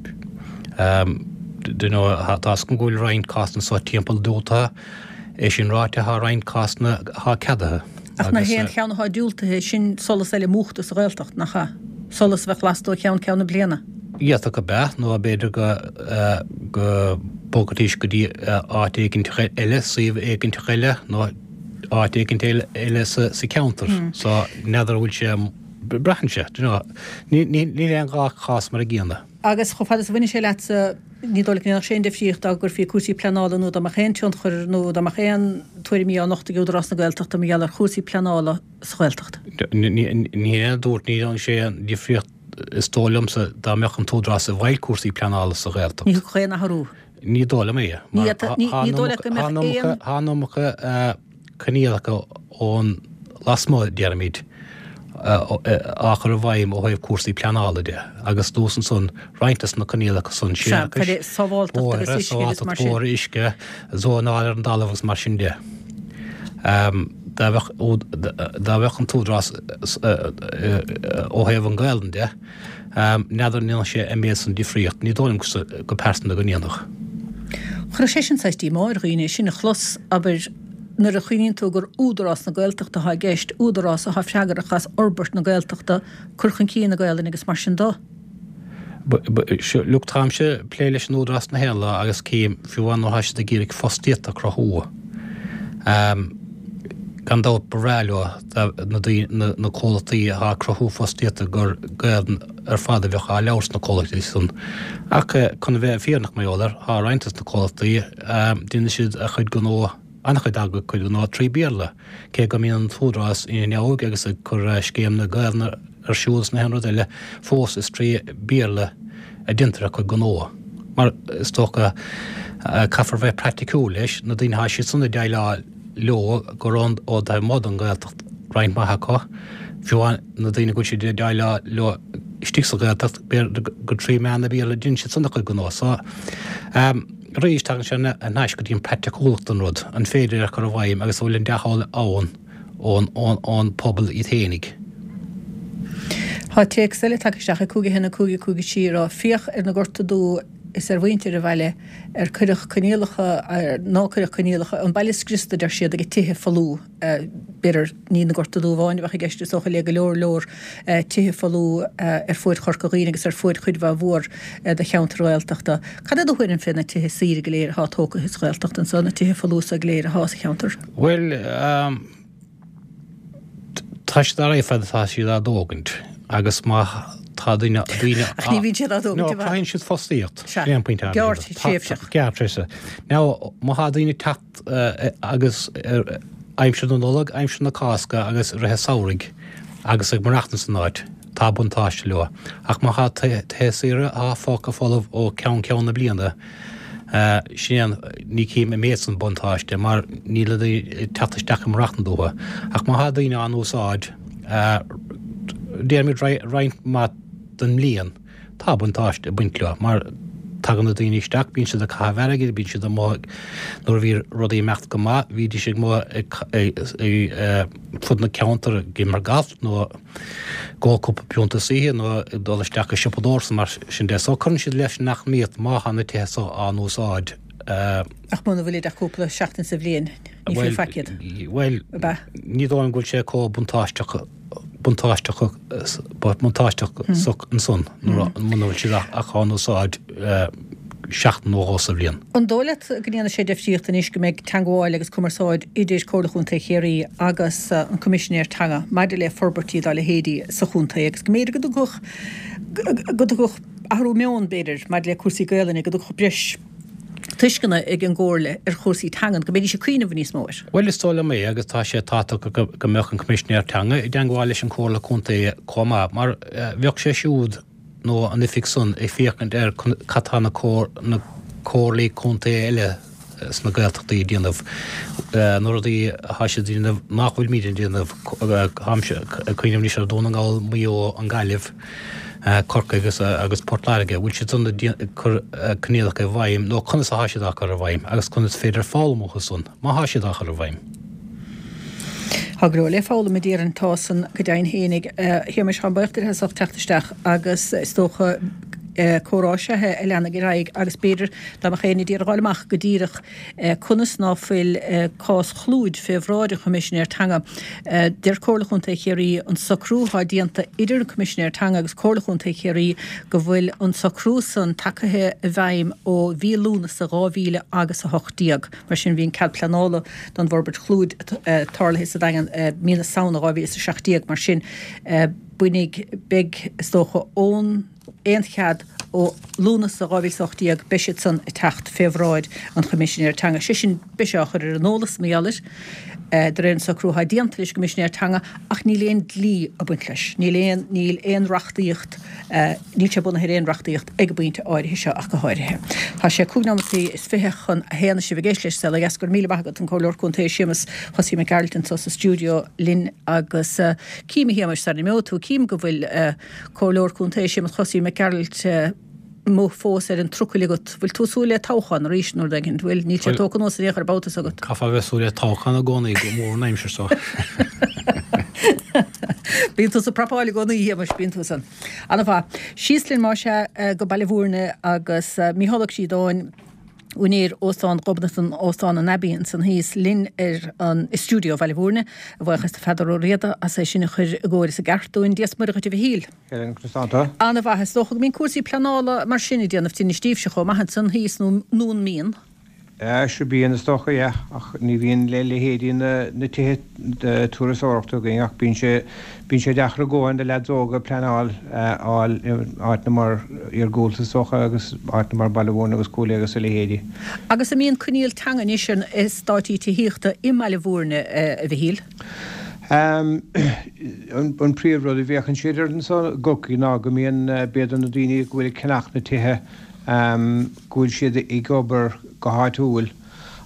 Do you know, tá's agam go bhfuil roinnt cásanna anseo timpeall diúltaithe. É sin ráite, tá roinnt cásanna atá ceadaithe Ach nach agus. é an cheann atá diúltaithe, sin solas eile múchta sa Ghaeltacht, nach ea? Solas a bheadh lasta ó cheann ceann na bliana. D'fhéadfadh ab ea, nó b'fhéidir go go mbogfaidís go dtí áit éiginteach eile, suíomh éiginteach eile, nó áit éigint eile sa cheantar. So, n'fheadar an bhfuil sé, braitheann sé, do you know. Níl aon dhá chás mar a gcéanna. Agus chomh fada is a bhaineann sé leatsa, ní dóigh leat go ndéanfadh sé aon difríocht dá gcuirfí cúrsaí pleanála nó dá mbeadh aon tionchar nó dá mbeadh aon tuairimí á nochtadh ag Údarás na Gaeltachta mar gheall ar chúrsaí pleanála sa Ghaeltacht? Ní hé a dúirt, ní dhéanfadh sé aon difríocht is dóigh liomsa dá mbeadh an tÚdarás i bhfeighil cúrsaí pleanála sa Ghaeltacht. Ní thiocfadh aon athrú. Ní dóigh liom é. Ní dóigh leat go mbeadh aon. Tá an iomarca coinníollacha ón lasmuigh, déarfaimid, á chur i bhfeidhm ó thaobh cúrsaí pleanála de agus anuas ansan roinnt de na coinníollacha san, séarachais, bóithre, sábháilteacht bóithre, uisce, zónáil ar an dtalamh agus mar sin de. Dá mbeadh dá mbeadh an tÚdarás ó thaobh an Ghaelainn de, n'fheadar an ndéanfadh sé an méid san difríocht. Ní dóigh liom go pearsanta go ndéanfadh. Chuirfeadh sé sin saghas díomá ar dhaoine, sin a chlos, abair, nuair a chuimhníonn tú gur Údarás na Gaeltachta atá i gceist, údarás atá freagrach as fhorbairt na Gaeltachta, cur chun cinn na Gaelainne agus mar sin de. Look, táimse ag plé leis an Údarás na haon lá agus cím, fiú amháin nuair atá siad ag iarraidh fostaíocht a chruthú, gan dabht ba bhreá leo na daoine, na comhlachtaí atá ag cruthú fostaíochta gur Gaelainn ar fad a bheadh á labhairt sna comhlachtaí san. Ach chun a bheith fírinneach mar gheall air, tá roinnt de na comhlachtaí, déanann siad a chuid gnó, an-chuid acu a gcuid gnó trí Bhéarla, cé go mbíonn an tÚdarás ina neamhaird agus ag cur scéim na Gaelainne ar siúl is na haon rud eile, fós is trí Bhéarla a déantar a gcuid gnó. Mar is dócha, caithfear bheith praiticiúil leis, na daoine atá siad san ag déileáil leo gur ón ó taobh amuigh den Ghaeltacht roinnt mhaith acu, fiú amháin na daoine go bhfuil siad ag déileáil leo istigh sa Ghaeltacht, b'fhéidir gur trí mheán an Bhéarla a deineann siad san a gcuid gnó. So, arís, tagann sé thar n-ais go dtí an praiticiúlacht den rud, an féidir é a chur i bhfeidhm agus an bhfuil an dea-thoil ann ón ón pobal iad fhéinig. Tá téacs eile tagtha isteach ag cúig a haon a cúig a cúig a trí ag rá, Féach ar na Gorta Dubha is ar mhuintir an bhaile ar cuireadh coinníollacha, ar ná cuireadh coinníollacha, an baile scriosta, deir siad, ag tithe folmha. B'fhéidir ní na Gorta Dubha amháin a bheadh i gceist, is dócha, le go leor leor tithe folmha ar fuaid Chorca Dhuibhne agus ar fuaid chuid mhaith mhór de cheantair Ghaeltachta. Cad é do thuairim fé na tithe saoire go léir atá tógtha sa Ghaeltacht anso, na tithe folmha so go léir atá sa cheantar? Bhuel, tá siad ar aghaidh fad atá siad á dtógaint agus má tá daoine, daoine Ach ní bhíonn siad á dtógaint No, i bhfad. cruthaíonn siad fostaíocht. Sea. Sin é an pointe atá agam. Gearrthréimhseach. Gearrthréimhseach. Now, má tá daoine ag teacht agus aimsir na Nollag, aimsir na Cásca agus rith an samhraidh agus ag maireachtaint san áit, tá buntáiste leo. Ach má tá tithe saoire atá fágtha folamh ó cheann ceann na bliana, sin é an, ní chím an méid san buntáiste mar níl na daoine ag teacht isteach ag maireachtaint uathu. Ach má tá daoine á n-úsáid, déarfaimid roinnt mhaith den mbliain, tá buntáiste ag baint leo mar tagann na daoine isteach, bíonn siad ag caitheamh airgid, bíonn siad amuigh, nuair a bhí rudaí ag imeacht go maith, bhídís amuigh ag fud na ceantar ag imirt galf nó ag ól cúpla pionta san oíche nó ag dul isteach ag siopadóireacht is mar sin de. So cuireann siad leis an eacnamaíocht má tá na tithe so á n-úsáid. Ach muna bhfuilid ach cúpla seachtain sa bhliain, ní fiú faic iad. Bhuel, ní dóigh liom go bhfuil sé chomh buntáisteach buntáisteach buntáisteach ansan muna bhfuil siad ach á n-úsáid seachtain nó dhó sa bhliain. An dóigh leat go ndéanfaidh sé difríocht anois go mbeidh teagmháil agus cumarsáid idir Comhairle Chontae Chiarraí agus an Coimisinéir Teanga maidir le forbairtí dá leithéidí sa chontae agus go mb'fhéidir go dtiocfadh go dtiocfadh athrú meoin b'fhéidir maidir le cúrsaí Gaelainne, go dtiocfadh breis tuisceana ag an gComhairle ar chúrsaí teangan, go mbeidís ag cuimhneamh níos mó air. Bhuel, is dóigh liom é agus tá sé tábhachtach go mbeadh an Coimisinéir Teanga i dteangmháil leis an Chomhairle Contae chomh maith mar bheadh sé siúd nó an oifig san ag féachaint ar cad tá na comhairlí contae eile sna Gaeltachtaí ag déanamh, na rudaí atá siad ag déanamh nach bhfuilimid ag déanamh, táimse ag cuimhneamh anois ar Dhún na nGall, Maigh Eo, an Ghaillimh. Corcaigh agus agus Port Láirge, bhfuil siad san ag cur coinníollacha i bhfeidhm nó conas atá siad á cur i bhfeidhm agus conas is féidir foghlaim uathu san má thá siad á chur i bhfeidhm. Tá go leor le foghlaim a déarfainn, tá san go deimhin fhéinig. A Shéamais, táim buíoch díot as ucht teacht isteach agus is dócha Comhrá is ea é a leanfaidh ar aghaidh agus b'fhéidir dá mbeadh éinne ag iarraidh a fháil amach go díreach conas ná fuil cás Chlúid fé bhráid an Choimisinéir Teanga. Deir Comhairle Chontae Chiarraí an socrú atá déanta idir an Coimisinéir Teanga agus Comhairle Chontae Chiarraí go bhfuil an socrú san tagaithe i bhfeidhm ó mhí Lúnasa dhá mhíle agus a hocht déag. Mar sin bhí an cead pleanála don bhforbairt Chlúid tarlaithe sa Daingean mí na Samhna dhá mhíle is a seacht déag. Mar sin bainfidh, beidh, is dócha, ón aon chead ó Lúnasa dhá mhíle is a hocht déag, beidh siad san ag teacht fé bhráid an Choimisinéir Teanga. Sé sin, beidh sé á chur ar an eolas, mar gheall air, de réir an socrú atá déanta leis an gCoimisinéir Teanga, ach níl aon dlí ag baint leis. Níl aon, níl aon reachtaíocht, níl sé bunaithe ar aon reachtaíocht ag an bpointe áirithe seo ach go háirithe. Tá sé cúig nóimeataí is fiche chun a haon is sibh ag éisteacht leis Saol Ó Dheas. Go raibh míle maith agat, an Comhairleoir Contae Séamus Chosaí Mac Gearailt anseo sa stiúideo linn agus cím, a Shéamais, sara n-imeoidh tú, cím go bhfuil Comhairleoir Contae Séamus Chosaí Mac Gearailt amuigh fós ar an trucail agat. Bhfuil tú ag súil le toghchán arís nó rud éigin? Bhfuil? Níl sé tógtha anuas in aon chor an babhta seo agat. Caithfear a bheith ag súil le toghchán i gcónaí, go mór an aimsir seo. Bíonn tusa ag prapáil i gcónaí, a Shéamais, bíonn tú san. Ana-mhaith. Síos linn más ea go Baile Bhúirne agus Mícheál Ó Críodáin, úinéir Óstán Ghobnatan, Óstán an Abbey ansan thíos linn ar an i stiúideo Bhaile Bhúirne. A bhuíochas do Pheadar Ó Riada as é sin a chur i gcóir is i gceart dúinn. Dia is Muire dhuit a Mhichíl. Helen, conas tá tú? Ana-mhaith. Is dócha go mbíonn cúrsaí pleanála mar sin ag déanamh tinnis daoibhse chomh maith ansan thíos nó nó an mbíonn? Sea, bíonn is dócha, yeah, ach ní bhíonn le leithéidí na na tithe turasóireachta againn ach bíonn sé bíonn sé deacair i gcónaí do leaids óga pleanáil a fháil i áiteanna mar iargúlta is dócha agus áiteanna mar Baile Bhúirne agus Cúil Aodha agus a leithéidí. Agus an mbíonn coinníoll teanga anois ar na eastáití tithíochta i mBaile Bhúirne, a Mhichíl? An príomh rud a bhféachann siad air anso i gCorcaigh ná go mbíonn b'fhéidir na daoine go bhfuil ag ceannach na tithe go bhfuil siad ag obair go háitiúil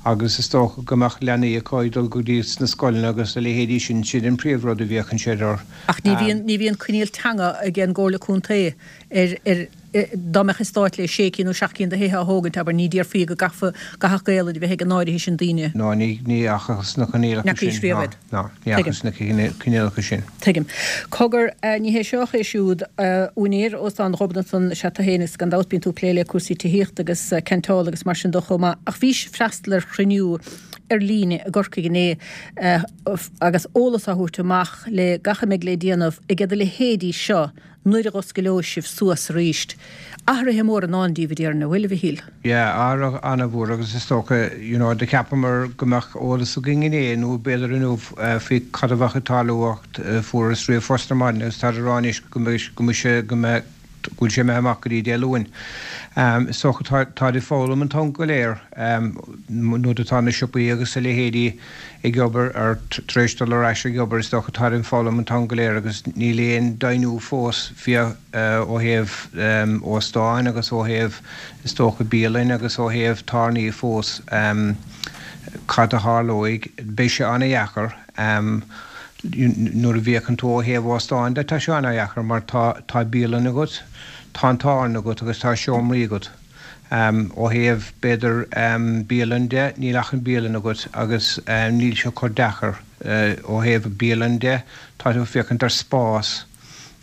agus is dócha go mbeadh leanaí acu ag dul go dtí sna scoileanna agus a leithéidí sin, sin an príomh rud a bhféachann siad air. Ach ní bhíonn, ní bhíonn coinníoll teanga ag an gComhairle Contae ar, ar, dá mbeadh eastát le sé cinn nó seacht gcinn de thithe á thógaint, abair, ní déarfaí go gcaithfeadh, gcaithfeadh Gaelainn a bheith ag an áirithe sin daoine. No, ní, ní fhacthas na coinníollacha sin, ná, ná, ní fhacthas na coinníollacha sin. Tuigim. Cogar, ní hé seo ach é siúd, úinéir Óstán Ghobnatan is ea tú féin agus gan dabht bíonn tú ag plé le cúrsaí tithíochta agus ceantála agus mar sin de chomh maith. Ach bhís ag freastal ar chruinniú ar líne i gCorcaigh inné agus eolas á thabhairt amach le gach a mbeidh le déanamh ag a leithéidí seo nuair a dh'oscaileoidh sibh suas arís. Athruithe móra i ndán daoibh, a déarfainn, an bhfuil, a Mhichíl? Yeah, athruithe an-mhór agus is dócha, you know, do cheapamar go mbeadh eolas againn inné nó b'fhéidir inniu faoi cad a bheadh ag tarlú ach fuaireas ríomhphost ar maidin agus táid ag rá anois go mbeidh, go mbeidh sé, go mbeidh, go bhfuil sé imithe amach go dtí Dé Luain. Is dócha tá, táid ag foghlaim an t-am go léir nuair atá na siopaí agus a leithéidí ag obair ar tar éis dul ar ais ag obair is dócha táid ag foghlaim an t-am go léir agus níl aon deimhniú fós fiú ó thaobh óstáin agus ó thaobh is dócha bialainn agus ó thaobh tábhairní fós cad a tharlóidh. Beidh sé ana-dheacair nuair a bhféachann tú ó thaobh óstáin de tá sé ana-dheacair mar tá tá bialann agat, tá an tábhairne agat agus tá seomraí agat. Ó thaobh, b'fhéidir, bialann de, níl ach an bialann agat agus níl sé chomh deacair. Ó thaobh bialann de, tá tú ag féachaint ar spás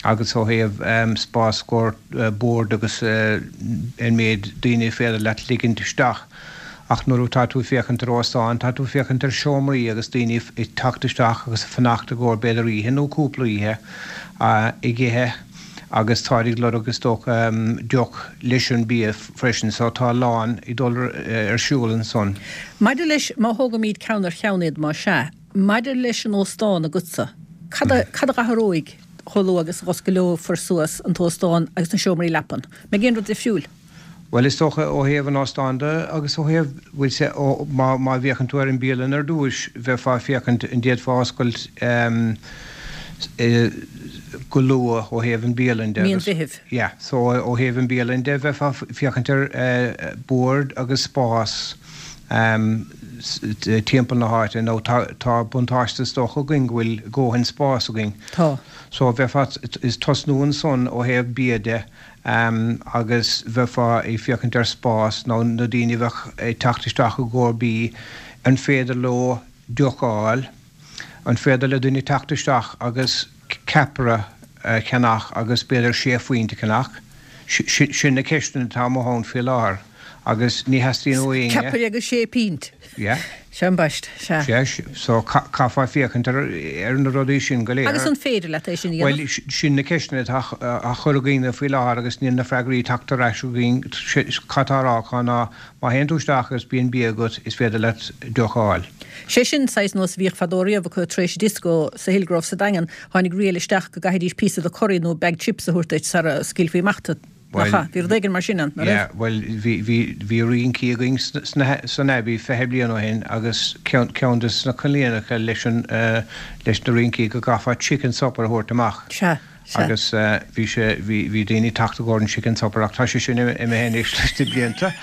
agus ó thaobh spás i gcomhair bord agus an méid daoine a féidir leat ligint isteach. Ach nuair atá tú ag féachaint ar óstán, tá tú ag féachaint ar seomraí agus daoine ag teacht isteach agus ag fanacht i gcomhair b'fhéidir oíche nó cúpla oíche ag ithe. agus táid ag lorg is dócha deoch leis an bia freisin so tá a lán ag dul ar siúl ansan. Maidir leis, má thógaimíd ceann ar cheann iad más ea, maidir leis an óstán agatsa, cad a, cad a dh'athróidh chomh luath agus a dh'oscaileofar suas an t-óstán agus na seomraí leapan? Mbeidh aon rud difriúil? Bhuel is dócha ó thaobh an óstáin de agus ó thaobh, bhuel sea, ó, má, má bhféachann tú ar an bialann ar dtúis, bheifeá ag féachaint an d'fhéadfá oscailt go luath ó thaobh an bialann de Mí an Mheithimh. Yeah, so ó thaobh an bialann de bheifeá ag féachaint ar bord agus spás timpeall na háite nó tá, tá buntáiste is dócha againn go bhfuil dóthain spás againn. Tá. So bheifeá ag tosnú ansan ó thaobh bia de. agus bheifeá ag féachaint ar spás nó na daoine a bheadh ag teacht isteach i gcomhair bídh, an féidir leo deoch a fháil, an féidir le duine teacht isteach agus ceapaire a cheannach agus b'fhéidir sé phuint a cheannach, Sin na ceisteanna atá amuigh ann faoi láthair agus ní theastaíonn ó éinne. Ceapaire agus sé pint. Yeah. Sea ambaist, sea. Sea, so caithfear féachaint ar ar na rudaí sin go léir. Agus an féidir leat é sin a dhéanamh? Bhuel, sin na ceisteanna atá á chur againn faoi láthair agus níl na freagraí tagtha ar ais againn. Cad tá á rá acu ná má théann tú isteach agus bíonn bia agat, is féidir leat deoch a fháil. Sé sin saghas nós a bhíodh fadó riamh acu tar éis dioscó sa Hillgrove sa Daingean, tháinig riail isteach go gcaithfidís píosa de curry nó bag chips a thabhairt duit sara scaoilfí amach tú. Nach ea? Bhí rud éigin mar sin ann, nach raibh? Yeah, bhuel, bhí, bhí, bhí rincí againn sna, san Abbey fiche bliain ó shin agus ceann, ceann de na coinníollacha leis an, leis na rincí go gcaithfeá chicken supper a thabhairt amach. Sea. Sea. Agus bhí sé, bhí, bhí daoine ag teacht i gcomhair an chicken supper ach tá sé sin imithe anois leis na blianta.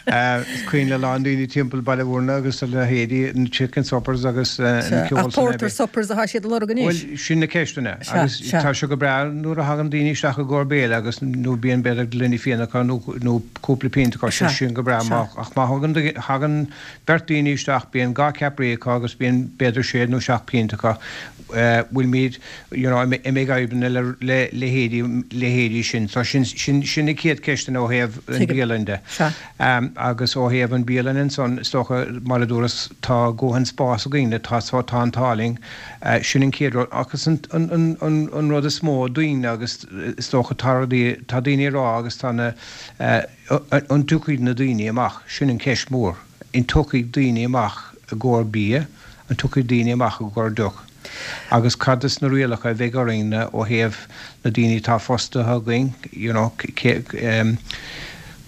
Is cuimhin le a lán daoine timpeall Baile Bhúirne agus a leithéidí na chicken suppers agus na Sea, ceol ach san porter Abbey. suppers atá siad a lorg anois. Bhuel, sin na ceisteanna. Sea, Agus sea. tá sé go breá nuair a thagann daoine isteach i gcomhair béile agus nó bíonn b'fhéidir gloine fíona acu nó, nó cúpla pionta acu, Sea, sé sin go breá. sea. Má, ach má thagann, thagann beirt daoine isteach bíonn dhá ceapairí acu agus bíonn b'fhéidir sé nó seacht bpionta acu. bhfuilimid you know an mbeidh fadhbanna le le leithéidí leithéidí sin. So sin sin sin na chéad ceisteanna ó thaobh an Tuigim. bialann de. Sea. Um, agus ó thaobh an bialann ansan is dócha mar a dúras tá dóthain spás againn tá so tá an t-ádh linn. Uh, sin an chéad rud agus an, an, an, an, an rud is mó daoine agus is dócha tá rudaí tá daoine ag rá agus tá na uh, an dtiocfaidh na daoine amach sin an ceist mór. An dtiocfaidh daoine amach i gcomhair bia, an dtiocfaidh daoine amach i gcomhair deoch. Agus cad is na rialacha a bheidh orainn ó thaobh na daoine atá fostaithe againn, you know, um,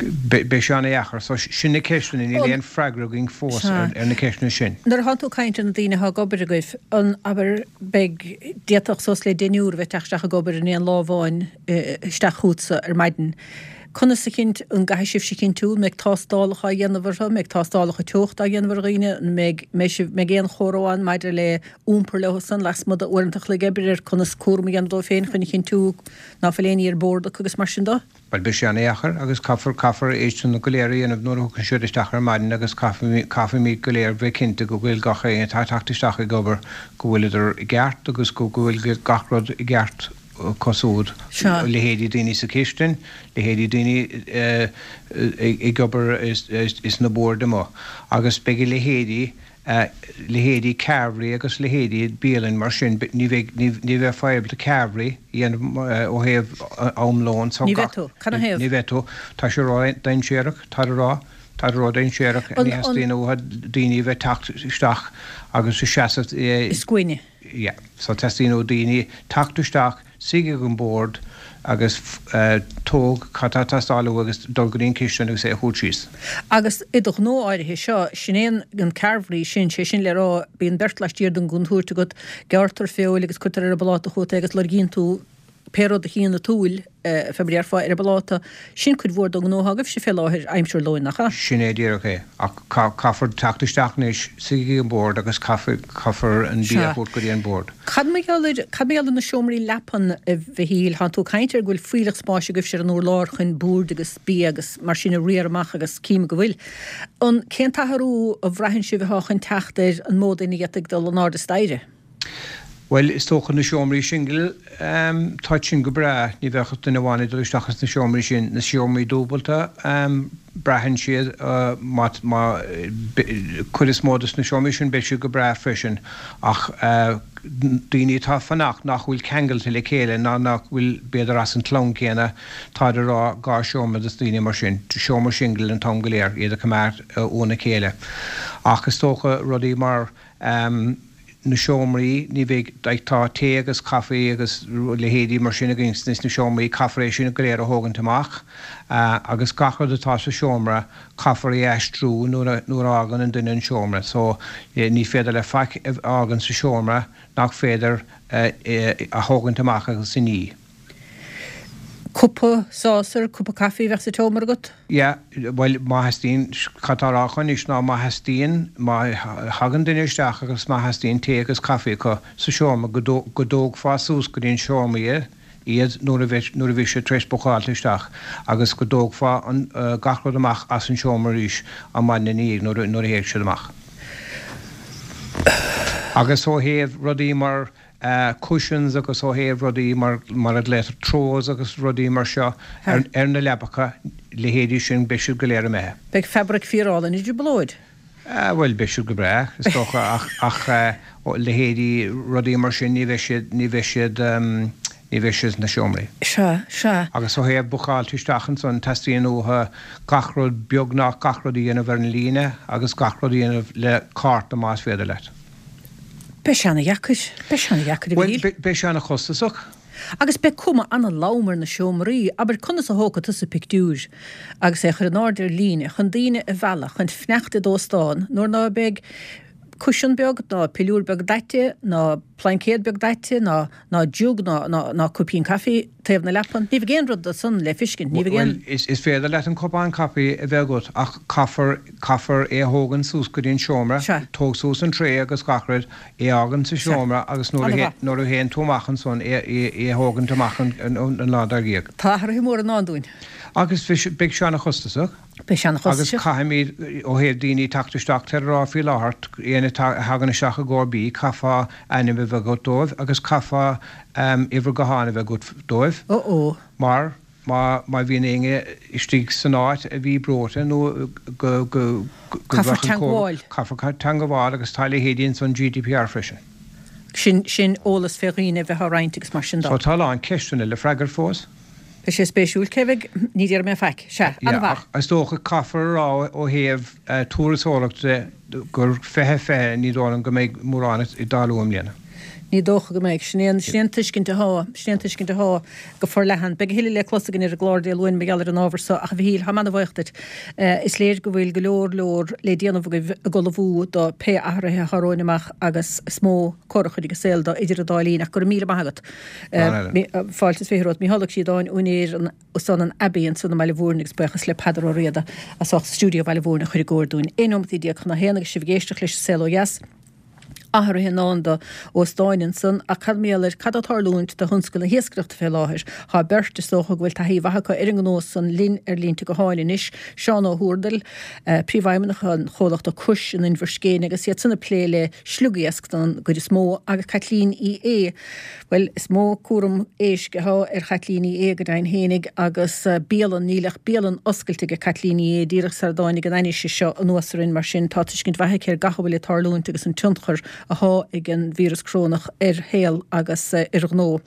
beidh sé an-deacair. So sin na ceisteanna, níl aon freagra againn fós ar, ar na ceisteanna sin. Nuair atá tú ag caint ar na daoine atá ag obair agaibh, an abair beidh d'fhéadfadh suas le deichniúr a bheith ag teacht isteach ag obair in aon lá amháin isteach chugatsa ar maidin. Conas a chint, an gcaithfidh sibhse a chinntiú, an mbeidh tástálacha á dhéanamh orthu, an mbeidh tástálacha teochta á dhéanamh ar dhaoine, an mbeidh, mbeidh sibh, mbeidh aon chomhrá ann maidir le iompar leo san lasmuigh d'uaireanta an chloig oibre ar conas cúram a dhéanamh dóibh féin chun a chinntiú ná fuil aon ní ar bord acu agus mar sin de? Bhuel, beidh sé an-deacair agus caithfear, caithfear é sin go léir a dhéanamh nuair a thiocfaidh siad isteach ar maidin agus caithfimid, caithfimid go léir bheith cinnte go bhfuil gach éinne atá ag teacht isteach ag obair, go bhfuileadar i gceart agus go, go bhfuil gach rud i gceart. acu siúd, leithéidí daoine sa chistin, leithéidí daoine ag obair is na boird amuigh, agus beidh a leithéidí, leithéidí carvery agus leithéidí bialann mar sin, ní bheidh, ní bheifeá ábalta carvery a dhéanamh ó thaobh am lóin, so Ní bheidh tú, cad 'na thaobh? Ní bheidh tú, tá sé ró-dainséarach, táid ag rá, táid ró-dainséarach, ní theastaíonn uathu daoine a bheith ag teacht isteach agus ag seasamh I scuaine. Yeah, so teastaíonn ó daoine teacht isteach, suigh ag an bord agus tóg cad tá ag teastáil uathu agus dul go dtí an chistin agus é a thabhairt síos. Agus i do ghnó áirithe seo, sin é an carvery sin, sé sin le rá, bíonn beirt laistiar den gcontúirt agat, gearrtar feoil agus cuirtear ar an bpláta chugat é agus lorgaíonn tú pé rud a chíonn an tsúil, fé mar a déarfá, ar an bpláta. Sin cuid mhór den ghnó atá agaibhse fé láthair, aimsir lóin, nach ea? Sin é díreach é. Ach caithfear teacht isteach anois, suigh ag an bord agus caithfear an bia a thabhairt go dtí an bord. Cad mar gheall ar, cad mar gheall ar na seomraí leapan, a Mhichíl? Tánn tú ag caint ar go bhfuil fuílleach spáis agaibhse ar an urlár chun boird agus bia agus mar sin a riar amach agus cím go bhfuil. An, cén t-athrú a bhraitheann sibh atá chun teacht ar an mó daoine atá ag dul in airde staighre? Bhuel, is dócha na seomraí singil, táid sin go breá, ní bheadh ach duine amháin ag dul isteach ins na seomraí sin. Na seomraí dúbalta, braitheann siad, má, má, cuid is mó dos na seomraí sin beidh siad go breá freisin ach daoine atá ag fanacht nach bhfuil ceangailte le chéile ná nach bhfuil b'fhéidir as an chlann céanna, táid ag rá dhá seomra dos daoine mar sin, seomra singil an t-am go léir, iad a choimeád óna chéile. Ach is dócha rudaí mar. na seomraí, ní bheidh, like tá tae agus caife agus leithéidí mar sin againn sna seomraí, caithfear é sin go léir a thógaint amach agus gach rud atá sa seomra caithfear é a aistriú nuair a, nuair a fhágann an duine an seomra. So ní féidir le faic a fhágaint sa seomra nach féidir a thógaint amach agus a ní. Cupa, saucer, cupa caife a bheadh sa tseomra agat? Yeah, bhuel, má theastaíonn, cad tá á rá acu anois ná má theastaíonn, má thagann duine isteach agus má theastaíonn tae agus caife acu sa seomra go go dtógfá suas go dtí an seomra iad nuair a bheidh, nuair a bheidh siad tar éis bookáilte isteach agus go dtógfá an, gach rud amach as an seomra arís an maidin ina dhiaidh nuair a, nuair a théid siad amach. Agus ó thaobh rudaí mar cushions agus ó thaobh rudaí mar mar a glaotar throws agus rudaí mar seo ar ar na leapacha, leithéidí sin, beidh siad go léir imithe. Beidh fabraic fíorálainn i dtrioblóid. Bhuel, beidh siad go breá, is dócha, ach ach leithéidí rudaí mar sin, ní bheidh siad, ní bheidh siad, ní bheidh siad sna seomraí. Sea, sea. Agus ó thaobh bookáilte isteach ansan, teastaíonn uathu gach rud, beagnach gach rud a dhéanamh ar an líne agus gach rud a dhéanamh le cárta más féidir leat. Beidh sé ana-dheacair. Beidh sé ana-dheacair, a Mhíchíl. Bhuel, beidh sé ana-chostasach. Agus beidh cuma ana-lom ar na seomraí. Abair, conas a thógfaidh tusa pictiúr agus é a chur in airde ar líne chun daoine a mhealladh chun fanacht i d'óstán nuair ná beidh cushion beag ná piliúr beag daite ná plaincéad beag daite ná ná jug ná ná ná cupín caife taobh na leapan. Ní bheidh aon rud de san le fiscint. Ní bheidh aon. Bhuel, is is féidir leat an cupán caife a bheith agat ach caithfear caithfear é a thógaint suas go dtí an seomra, Sea. tóg suas an tray agus gach rud, é a fhágaint sa Sea. seomra agus nuair a Ana-mhaith. nuair a théann tú amach ansan é é é a thógaint amach an an an lá dár gcionn. Tá athruithe móra i ndán dúinn. Agus beidh sé ana-chostasach. Beidh sé Agus ana-chostasach. caithfimid, ó thaobh daoine teacht isteach, táthar ag rá faoi láthair, éinne a thagann isteach i gcomhair bídh, caithfeá ainm a bheith agat dóibh agus caithfeá uimhir gutháin a bheith agat dóibh. Ó ó. Mar má má bhíonn éinne istigh san áit a bhí breoite nó go go go Caithfear bheadh an teangmháil. Caithfear teangmháil agus tá leithéidí ansan GDPR freisin. Sin sin eolas fé dhaoine a bheith á roinnt agus mar sin So de. tá a lán ceisteanna le freagairt fós. Beidh sé spéisiúil. Cé bheidh, ní déarfaidh mé faic. Sea, Yeah, an-mhaith. ach is dócha caithfear a rá ó thaobh turasóireachta de gur fiche fiche ní dóigh liom go mbeidh mórán ag tarlú i mbliana. Ní dócha go mbeidh. Sin é an, sin é an tuiscint atá, sin é an tuiscint atá go forleathan. Beidh a thuilleadh le clos againn ar an gclár Dé Luain mar gheall ar an ábhar so ach a Mhichíl, táim ana-bhuíoch duit. Is léir go bhfuil go leor leor le déanamh agaibh ag ullmhú do pé athruithe atá romhainn amach agus is mó cor a chuirfidh an saol dó idir an dá linn ach go raibh míle maith agat. Fáilte is fiche romhat. Mícheál Ó Críodáin, úinéir an Óstán an Abbey ansan i mBaile Mhúirne agus buíochas le Peadar Ó Riada as ucht stiúideo Bhaile Mhúirne a chur i gcóir dúinn. Aon nóimeataí déag chun a haon agus sibh ag éisteacht leis an Saol Ó Dheas. Athruithe i ndán do óstáin ansan ach cad mar gheall ar cad atá ag tarlúint do thionscal na hiascaireachta fé láthair? Tá beirt, is dócha go bhfuil taithí mhaith acu ar an ngnó san linn ar línte gutháin anois, Seán Ó hÚrdail, Príomhfheidhmeannach an chomhlachta Cois in Inbhir Scéine agus iad san ag plé le sliogiasc don gcuid is mó agus Caitlín Uí Aodha, bhuel is mó cúram éisc athá ar Chaitlín Uí Aodha go deimhin fhéinig agus bialann, níl ach bialann oscailte ag Caitlín Uí Aodha díreach sar a dtáinig an ainnise seo anuas orainn mar sin tá tuiscint mhaith aici ar gach a bhfuil ag tarlúint agus an tionchar athá ag an víreas corónach ar shaol agus ar ghnó.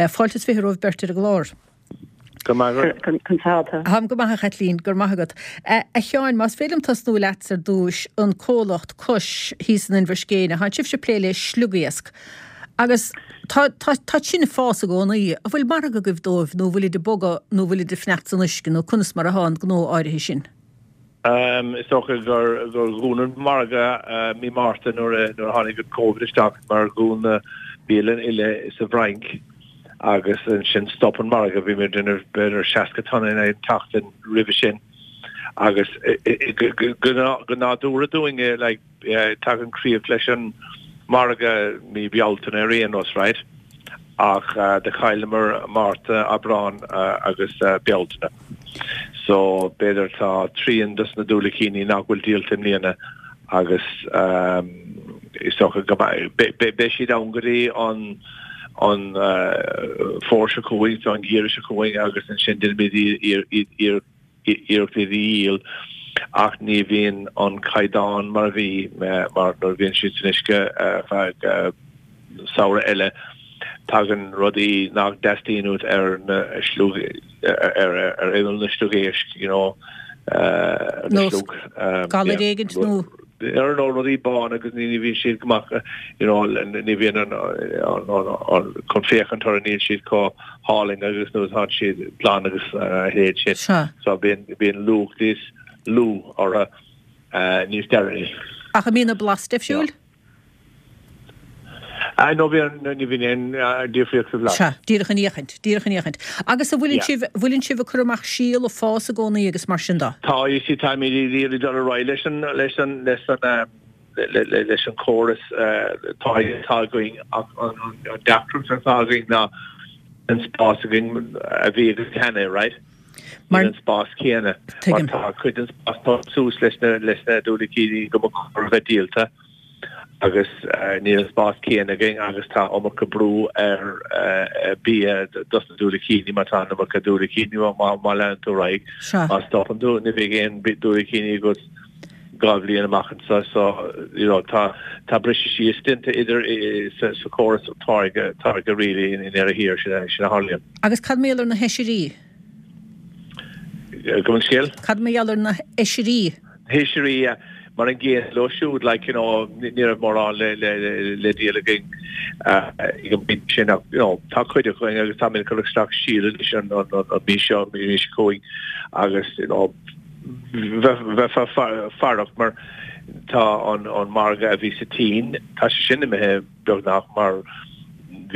Fáilte is fiche romhaibh beirt ar an gclár. Go maith agat. Conas atá tú? Táim go maith a Chaitlín, go raibh maith agat. A Sheáin, más féidir liom tosnú leatsa ar dtúis, an comhlacht Cois thíos in Inbhir Scéine, thánn sibhse ag plé le sliogiasc agus tá tá tá sin ag fás i gcónaí. An bhfuil margadh agaibh dóibh nó bhfuilid ag bogadh nó bhfuilid ag fanacht san uisce nó conas mar athá an gnó áirithe sin? Is dócha gur gur dhún an margadh mí Márta nuair a nuair a tháinig an Covid isteach mar dhún na bialanna uile sa bhFrainc agus ansin stop an margadh. Bhí muid ag déanamh b'fhéidir seasca tonna in aghaidh an tseachtain roimhe sin agus go nádúrtha dúinne like tagann críoch leis an margadh mí Bealtaine ar aon nós, right? Ach do chailleamar Márta, Aibreán agus Bealtaine. So b'fhéidir tá trian dos na diúilicíní nach bhfuil díolta i mbliana agus is dócha go beidh siad ann go dtí an an fómhar seo chugainn, so an geimhreadh seo chugainn agus ansin déanfaimid iarracht iad a dhíol ach ní bhíonn an caighdeán mar a bhí mar nuair a bhíonn siad san uisce feadh samhradh eile tagann rudaí nach dteastaíonn uait ar na sliog ar ar imeall na sliogéisc you know ar na Nós sliog galar yeah éigint nó ar nó rudaí bána agus ní bhíonn siad go maith you know ní bhíonn an an an an chun féachaint orthu níl siad chomh hálainn agus nuair atá siad glan agus a leithéid sin. Sea. So bíonn bíonn luach níos lú orthu níos deireanaí. Ach an mbíonn an blas difriúil? Ah no bhíonn ní bhíonn aon difríocht sa bhlas. Sea, díreach an fhéachaint, díreach an fhéachaint. Agus an bhfuileann Yeah. sibh, bhfuileann sibh ag cur amach síol ag fás i gcónaí agus mar sin de? Tá, you see, táimid ag iarraidh dul ar aghaidh leis an, leis an, leis an, eh, le, le, leis an chóras eh, atá atá againn ach an, an, an deacracht atá againn ná an spás againn a bhí againn cheana, right? Mar, Níl an spás céanna. Mar tuigim. tá cuid den spás tógtha suas leis na, leis na diúilicíní go mba chóir a bheith díolta. agus níl an spás céanna againn agus tá iomarca brú ar bia dos na diúilicíní má tá an iomarca diúilicíní má má leanann tú ar aghaidh. Má stopann tú ní bheidh aon diúilicíní agat dhá bhliain amach anseo so you know tá tá briseadh síos déanta idir sa sa chóras táirge táirge really i ndeireadh thiar sin sin a tharlaíonn. Agus cad mar gheall ar na hoisrí? Gabh mo leithscéal? Cad mar gheall ar na hoisrí? Oisrí, yeah. Mar an gcéanna leo siúd, like, you know, ní raibh mórán le, le, le díol againn ag an bpointe sin ach, you know, tá cuid againn agus táimid ag cur isteach síol anois an, an, an, an mhí seo, an mhí seo chugainn agus, you know, bheifeá faireach mar tá an, an margadh a bhí sa tSín, tá sé sin imithe beagnach mar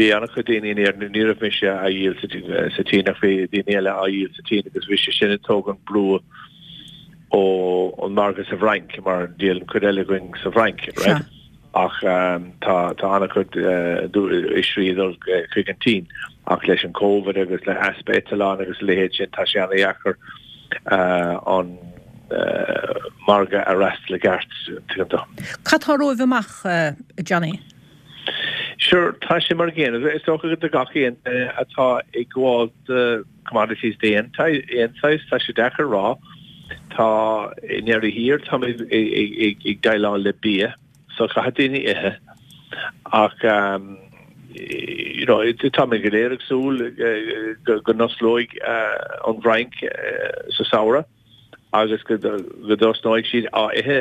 bhí an-chuid daoine in Éirinn, ní raibh mise á dhíol sa, sa tSín ach bhí daoine eile á dhíol sa tSín agus bhí sé sin ag tógaint brú ó an margadh sa bhFrainc mar díolann cuid eile againn sa bhFrainc, right? Ach tá tá an-chuid oisrí ag dul chuig an tSín ach leis an Covid agus le easpa eitleán agus a leithéid sin tá sé an-dheacair an margadh a fhreastal i gceart, tuigeann tú. Cad tá romhaibh amach, Johnny? Sure, tá sé mar an gcéanna. Is dócha do gach aon duine atá ag gabháil do commodities d'aon saghas, tá sé deacair a rá. Tá, i ndeireadh thiar, táimid ag déileáil le bia, so caithfidh daoine ithe. Ach, you know, táimid go léir ag súil go n-osclóidh an Fhrainc sa samhradh. agus go dtosnóidh siad á ithe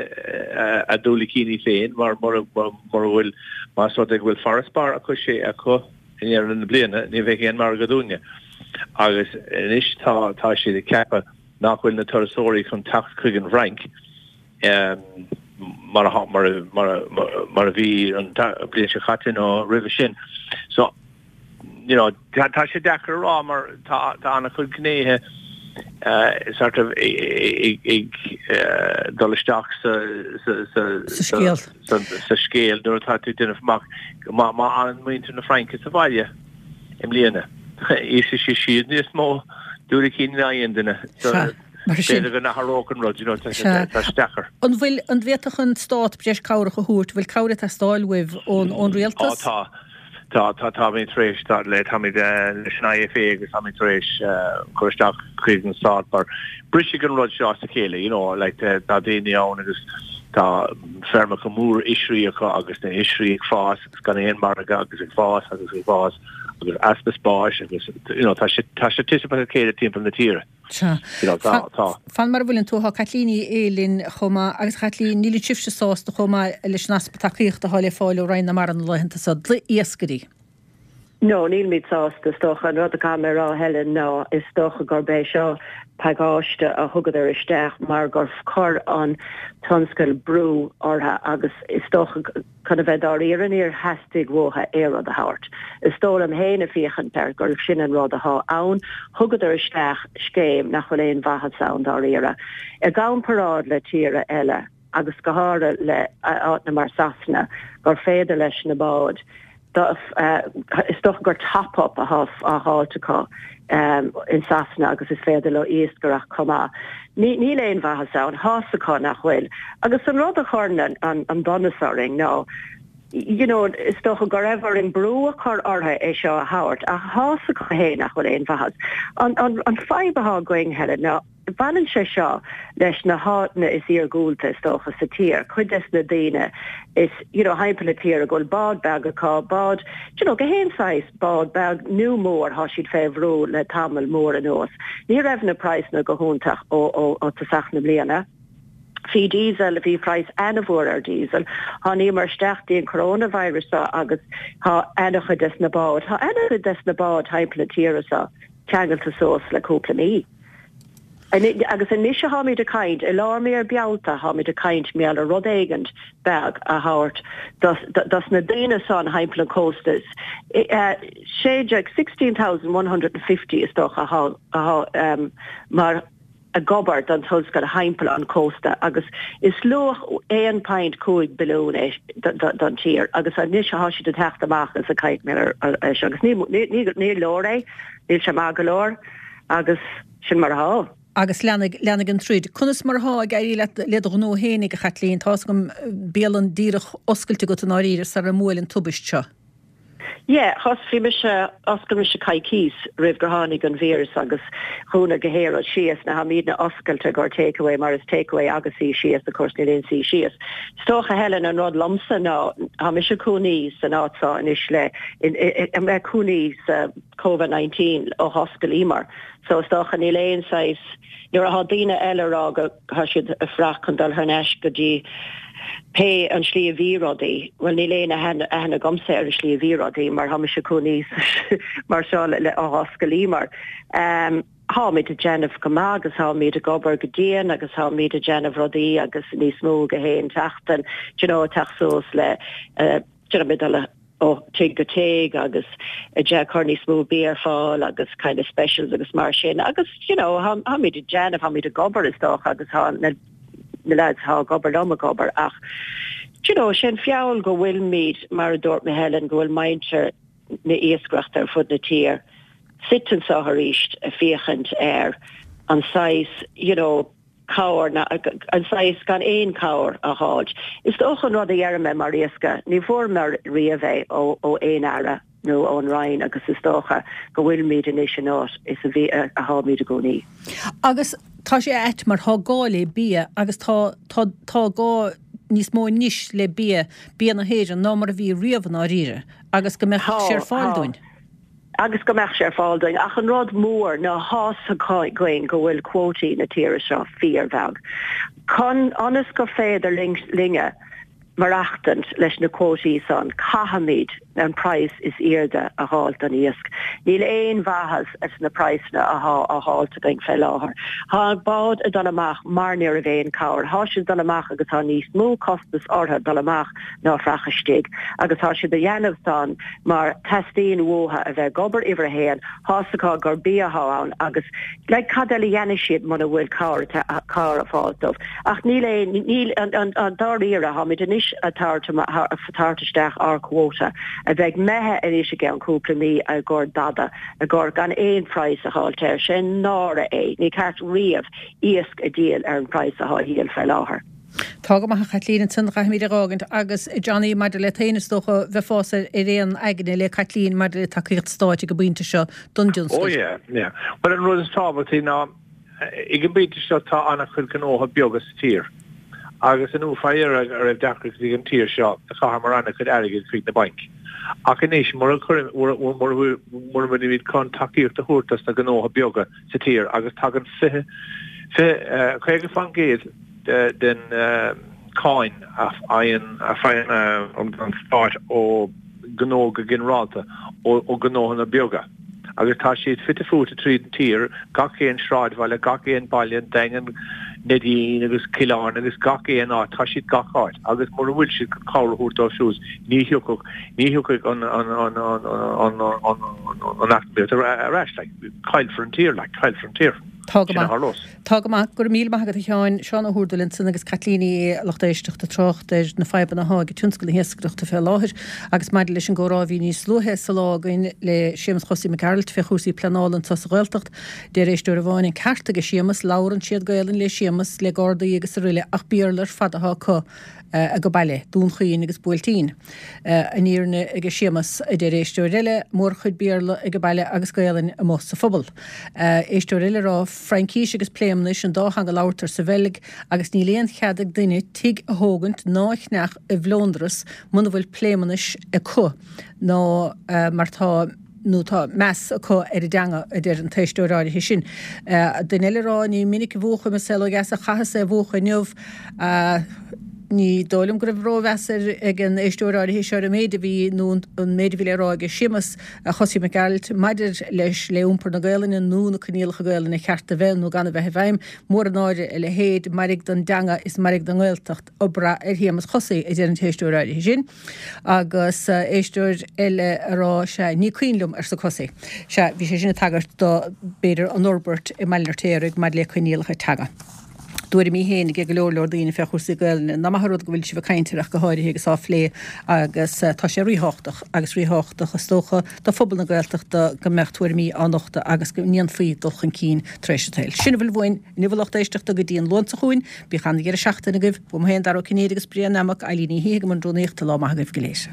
a ndiúilicíní féin mar mura bhfuil, más rud é go bhfuil farasbarr acu sé acu i ndeireadh na bliana, ní bheidh aon margadh dúinne. Agus anois tá tá siad ag ceapadh nach bhfuil na turasóirí chun teacht chuig an bhFrainc mar a mar a mar a bhí an bhliain seo caite nó roimhe sin. So you know, tá tá sé deacair a rá mar tá tá an-chuid gnéithe sort of ag ag dul isteach sa sa sa scéal sa scéal nuair atá tú ag déanamh amach má má fhanann muintir na Fraince sa bhaile i mbliana íosfaidh siad níos mó diúilicíní ná aon duine. B'fhéidir go n-athródh an rud, you know, tá sé tá sé deacair. An bhfuil an bhféadfadh an stát breis cabhrach a thabhairt, bhfuil cabhair ag teastáil uaibh ón ón rialtas? Á tá. Tá, tá, táimid tar éis, tá, le, táimid leis an IFA agus táimid tar éis cur isteach chuig an stát mar brisfidh an rud seo as a chéile, you know, like tá daoine ann agus tá feirmeacha mór oisrí acu agus na hoisrí ag fás agus gan aon margadh agus ag fás agus ag fás agus easpa spáis agus, you know, tá sé, tá sé titim as a chéile timpeall na tíre. Sea. Tá, tá. Fan mar a bhfuileann tú, tá Caitlín Ní Aodha linn chomh maith agus a Chaitlín, níl sibhse sásta chomh maith leis an easpa tacaíochta atá le fáil ó Roinn na Mara na laethanta seo d'iascairí. No, nílimid sásta, is dócha. An rud a caithfidh mé a rá, Helen, ná is dócha gurb é seo pacáiste a thugadar isteach mar gur chuir an tionscal brú orthu agus is dócha chun a bheith dáiríre níor theastaigh uathu aon rud a thabhairt. Is dóigh liom féin ag féachaint air gurb sin an rud atá ann. Thugadar isteach scéim nach bhfuil aon mhaitheas ann dáiríre. I gcomparáid le tíortha eile agus go háirithe le áiteanna mar Sasana gur féidir leis na báid is dócha gur top up atá á fháilt acu in Sasana agus is féidir leo iascaireacht chomh maith. Níl aon mhaitheas ann, tá's acu nach bhfuil. Agus an rud a chuireann an donas orainn ná, you know, is dócha go raibh orainn brú a chur orthu é seo a thabhairt ach tá's acu féin nach bhfuil aon mhaitheas. An fadhb atá againn, Helen, ná Baineann sé seo leis na háiteanna is iargúlta is dócha sa tír, cuid des na daoine is, you know, thimpeall na tíre go bhfuil bád beag acu, bád, you know, gach aon saghas bád beag nó mór, thá siad fé bhrú le tamall mór anuas. Ní raibh na praghsanna go hiontach ó, ó, ó tosach na bliana. Bhí diesel, bhí praghas ana-mhór ar diesel. Tháiníomar isteach dtí an coronavirus seo agus thá ana-chuid des na báid, thá ana-chuid des na báid thimpeall na tíre seo ceangailte suas le cúpla mí. Agus anois tháimid ag caint, i lár mí Bealtaine tháimid ag caint mar gheall ar rud éigint beag a thabhairt dos na daoine san thimpeall an cósta. Sé déag, sixteen thousand one hundred and fifty is dócha athá mar ag obair don tionscal thimpeall an cósta agus is luach aon pint cúig billiún é don tír agus anois thá siad ag teacht amach is ag caint mar gheall ar seo agus ní leor é, níl sé maith go leor agus sin mar athá. Agus leanfaidh, leanfaidh an troid. Conas mar atá ag éirí leat le do ghnó fhéinig, a Chaitlín? Tá's agam bialann díreach oscailte agat i ndáiríre sara mbuail an tubaist seo. Yeah, thos, bhí mise, oscail mise coicís roimh gur tháinig an víreas agus dhúnadh gach aon rud síos. Now tháimidne oscailte i gcomhair takeaway mar is takeaway agus suí síos, of course níl aon suí síos. Is dócha Helen an rud liomsa ná tá mise cónaí san áit seo anois le, in, i, i, cónaí sa Covid nineteen ó hoscailíomar. So is dócha níl aon saghas, nuair atá daoine eile ag rá go tá siad ag fuireach chun dul thar n-ais go dtí pé an slí a bhí rudaí, bhuel níl aon aithne aithne agamsa ar an slí a bhí rudaí mar tá mise cónaí mar seo le ó hoscailíomar. Um, Táimid ag déanamh go maith agus táimid ag obair go dian agus táimid ag déanamh rudaí agus níos mó gach aon tseachtain, do you know, teacht suas le uh, do you know, dul ó tigh go tigh agus ag cur níos mó bia ar fáil agus kind of specials agus mar sin agus you know táimid ag déanamh táimid ag obair is dócha agus tá na na lads atá ag obair liom ag obair ach you know sin feall go bhfuilimid mar a dúirt mé Helen go bhfuil muintir na iascaireachta ar fud na tír suite anseo arís ag féachaint ar an saghas you know cabhair ná an saghas gan aon cabhair a fháilt. Is dócha an rud a deirim mé mar iascaire, ní bhfuaireamar riamh é ó ó aon aire nó ón Roinn agus is dócha go bhfuilimid anois in áit is a bhí a tháimid i gcónaí. Agus tá sé ait mar tá gá le bia agus tá tá tá gá níos mó anois le bia, bia na hÉireann ná mar a bhí riamh i ndáiríre agus go mbeadh sé ar fáil dúinn. agus go mbeadh sé ar fáil dúinn. Ach an rud mór ná tá's againn go bhfuil cuótaí na tíre seo fíorbheag. Chun ionas gur féidir linne maireachtaint leis na cuótaí san, caithfimid an praghas is airde a dh'fháilt don iasc. Níl aon mhaitheas as na praghsanna athá á dh'fháilt againn fé láthair. Thá báid ag dul amach mar ní raibh aon cabhair. Thá siad ag dul amach agus thá níos mó costas orthu dul amach ná fuireach istigh agus thá siad a dhéanamh san mar teastaíonn uathu a bheith ag obair uimhir a haon, thá's acu gur bia athá ann agus like cad eile a dhéanfaidh siad muna bhfuil cabhair cabhair ag fáilt dóibh. Ach níl aon níl an an an dáiríre tháimid anois ag tabhairt tabhairt isteach ár quota a bheidh imithe anois i gceann cúpla mí i gcomhair dada i gcomhair gan aon praghas a dh'fháilt air. Sé náire é. Ní ceart riamh iasc a dhíol ar an praghas athá á dhíol fé láthair. Tá go maith a Chaitlín, ansan caithfimid a dh'fhágaint agus Johnny maidir leat féin is dócha bheifeása ar aon aigne le Caitlín maidir le tacaíocht stáit ag an bpointe seo don dtionscal. Oh yeah, yeah. Well an rud is tábhachtaí ná ag an bpointe seo tá an-chuid gnótha beaga sa tír agus inniu fá dheireadh a raibh deacrachtaí ag an tír seo do chaitheamar an-chuid airgid chuig na bainc. Ach anois mura mura bhfuilimid chun tacaíocht a thabhairt dos na gnótha beaga sa tír agus tagann fiche fiche caoga faoin gcéad den cáin a fhaigheann a faigheann an stát ó ghnó go ginearálta, ó ghnóthanna beaga. Agus tá siad fite fuaite tríd an tír, gach aon sráidbhaile, gach aon baile, an Daingean, Neidín agus Cill Airne agus gach aon áit, tá siad gach áit. Agus mura bhfuil siad chun cabhair a thabhairt dóibh siúd, ní thiocfadh, ní thiocfaidh an an an an an an an eacnamaíocht ar ais, like, caillfear an tír, like, caillfear an tír. Tá go maith. Tá go maith. Go raibh míle maith agat a Sheáin. Seán Ó hÚrdail ansan agus Caitlín Ní Aodha, lucht éisteachta, ag trácht ar na fadhbanna athá ag tionscal na hiascaireachta fé láthair agus maidir leis an gcomhrá a bhí níos luaithe sa lá againn le Séamus Chosaí Mac Gearailt fé chúrsaí pleanála anso sa Ghaeltacht. Deir éisteoir amháin, an ceart aige Séamus, labhrann siad Gaelainn le Séamus, le Gardaí agus aroile ach Béarla ar fad athá acu. age baile, Dún Chaoin agus Buailtín. An fhírinne aige Séamus, a deir éisteoir eile, mórchuid Béarla age baile agus Gaelainn amuigh sa phobal. Éisteoir eile ag rá, Fraincís agus Pléimeannais an dá theanga a labhartar sa Bheilg agus níl aon chead ag duine tigh a thógaint ná a cheannach i bhFlóndras muna bhfuil Pléimeannais acu ná mar tá nó tá meas acu ar an dteanga, a deir an t-éisteoir áirithe sin. Duine eile ag rá, Ní minic a mhúchaim an saol ó dheas ach chaitheas é a mhúchadh inniu. Ní dóigh liom go raibh rómheas ag an éisteoir áirithe seo ar an méid a bhí nó an méid a bhí le rá aige Séamus Chosaí Mac Gearailt maidir leis le iompar na Gaelainne nó na coinníollacha Gaelainne cheart a bheith nó gan a bheith i bhfeidhm. Mór an náire a leithéid, mairg don dteanga is mairg don nGaeltacht. Ag brath ar Shéamus Chosaí, a deir an t-éisteoir áirithe sin. Agus éisteoir eile a rá, sea, ní cuimhin liom, arsa Cosaí. Sea, bhí sé sin ag tagairt do, b'fhéidir, an fhorbairt i mBaile an Fheirtéaraigh maidir le coinníollacha teanga. dtuairimí féin ag go leor leor daoine fé chúrsaí Gaelainne. Nach maith an rud go bhfuil sibh ag caint air ach go háirithe agus á phlé agus tá sé ríthábhachtach agus ríthábhachtach is dócha do phobal na Gaeltachta go mbeadh tuairimí á nochtadh agus go ndéanfaí dul chun cinn tar éis an tsaoil. Sin a bhfuil uainn inniu a lucht éisteachta go dtí an Luan seo chugainn. Bíodh an-dheireadh seachtaine agaibh. Uaim féin, Dara Ó Cinnéide agus Brian Nammock, Eilín Ní Shíthigh i mbun rúnaíochta, lá maith agaibh go léir.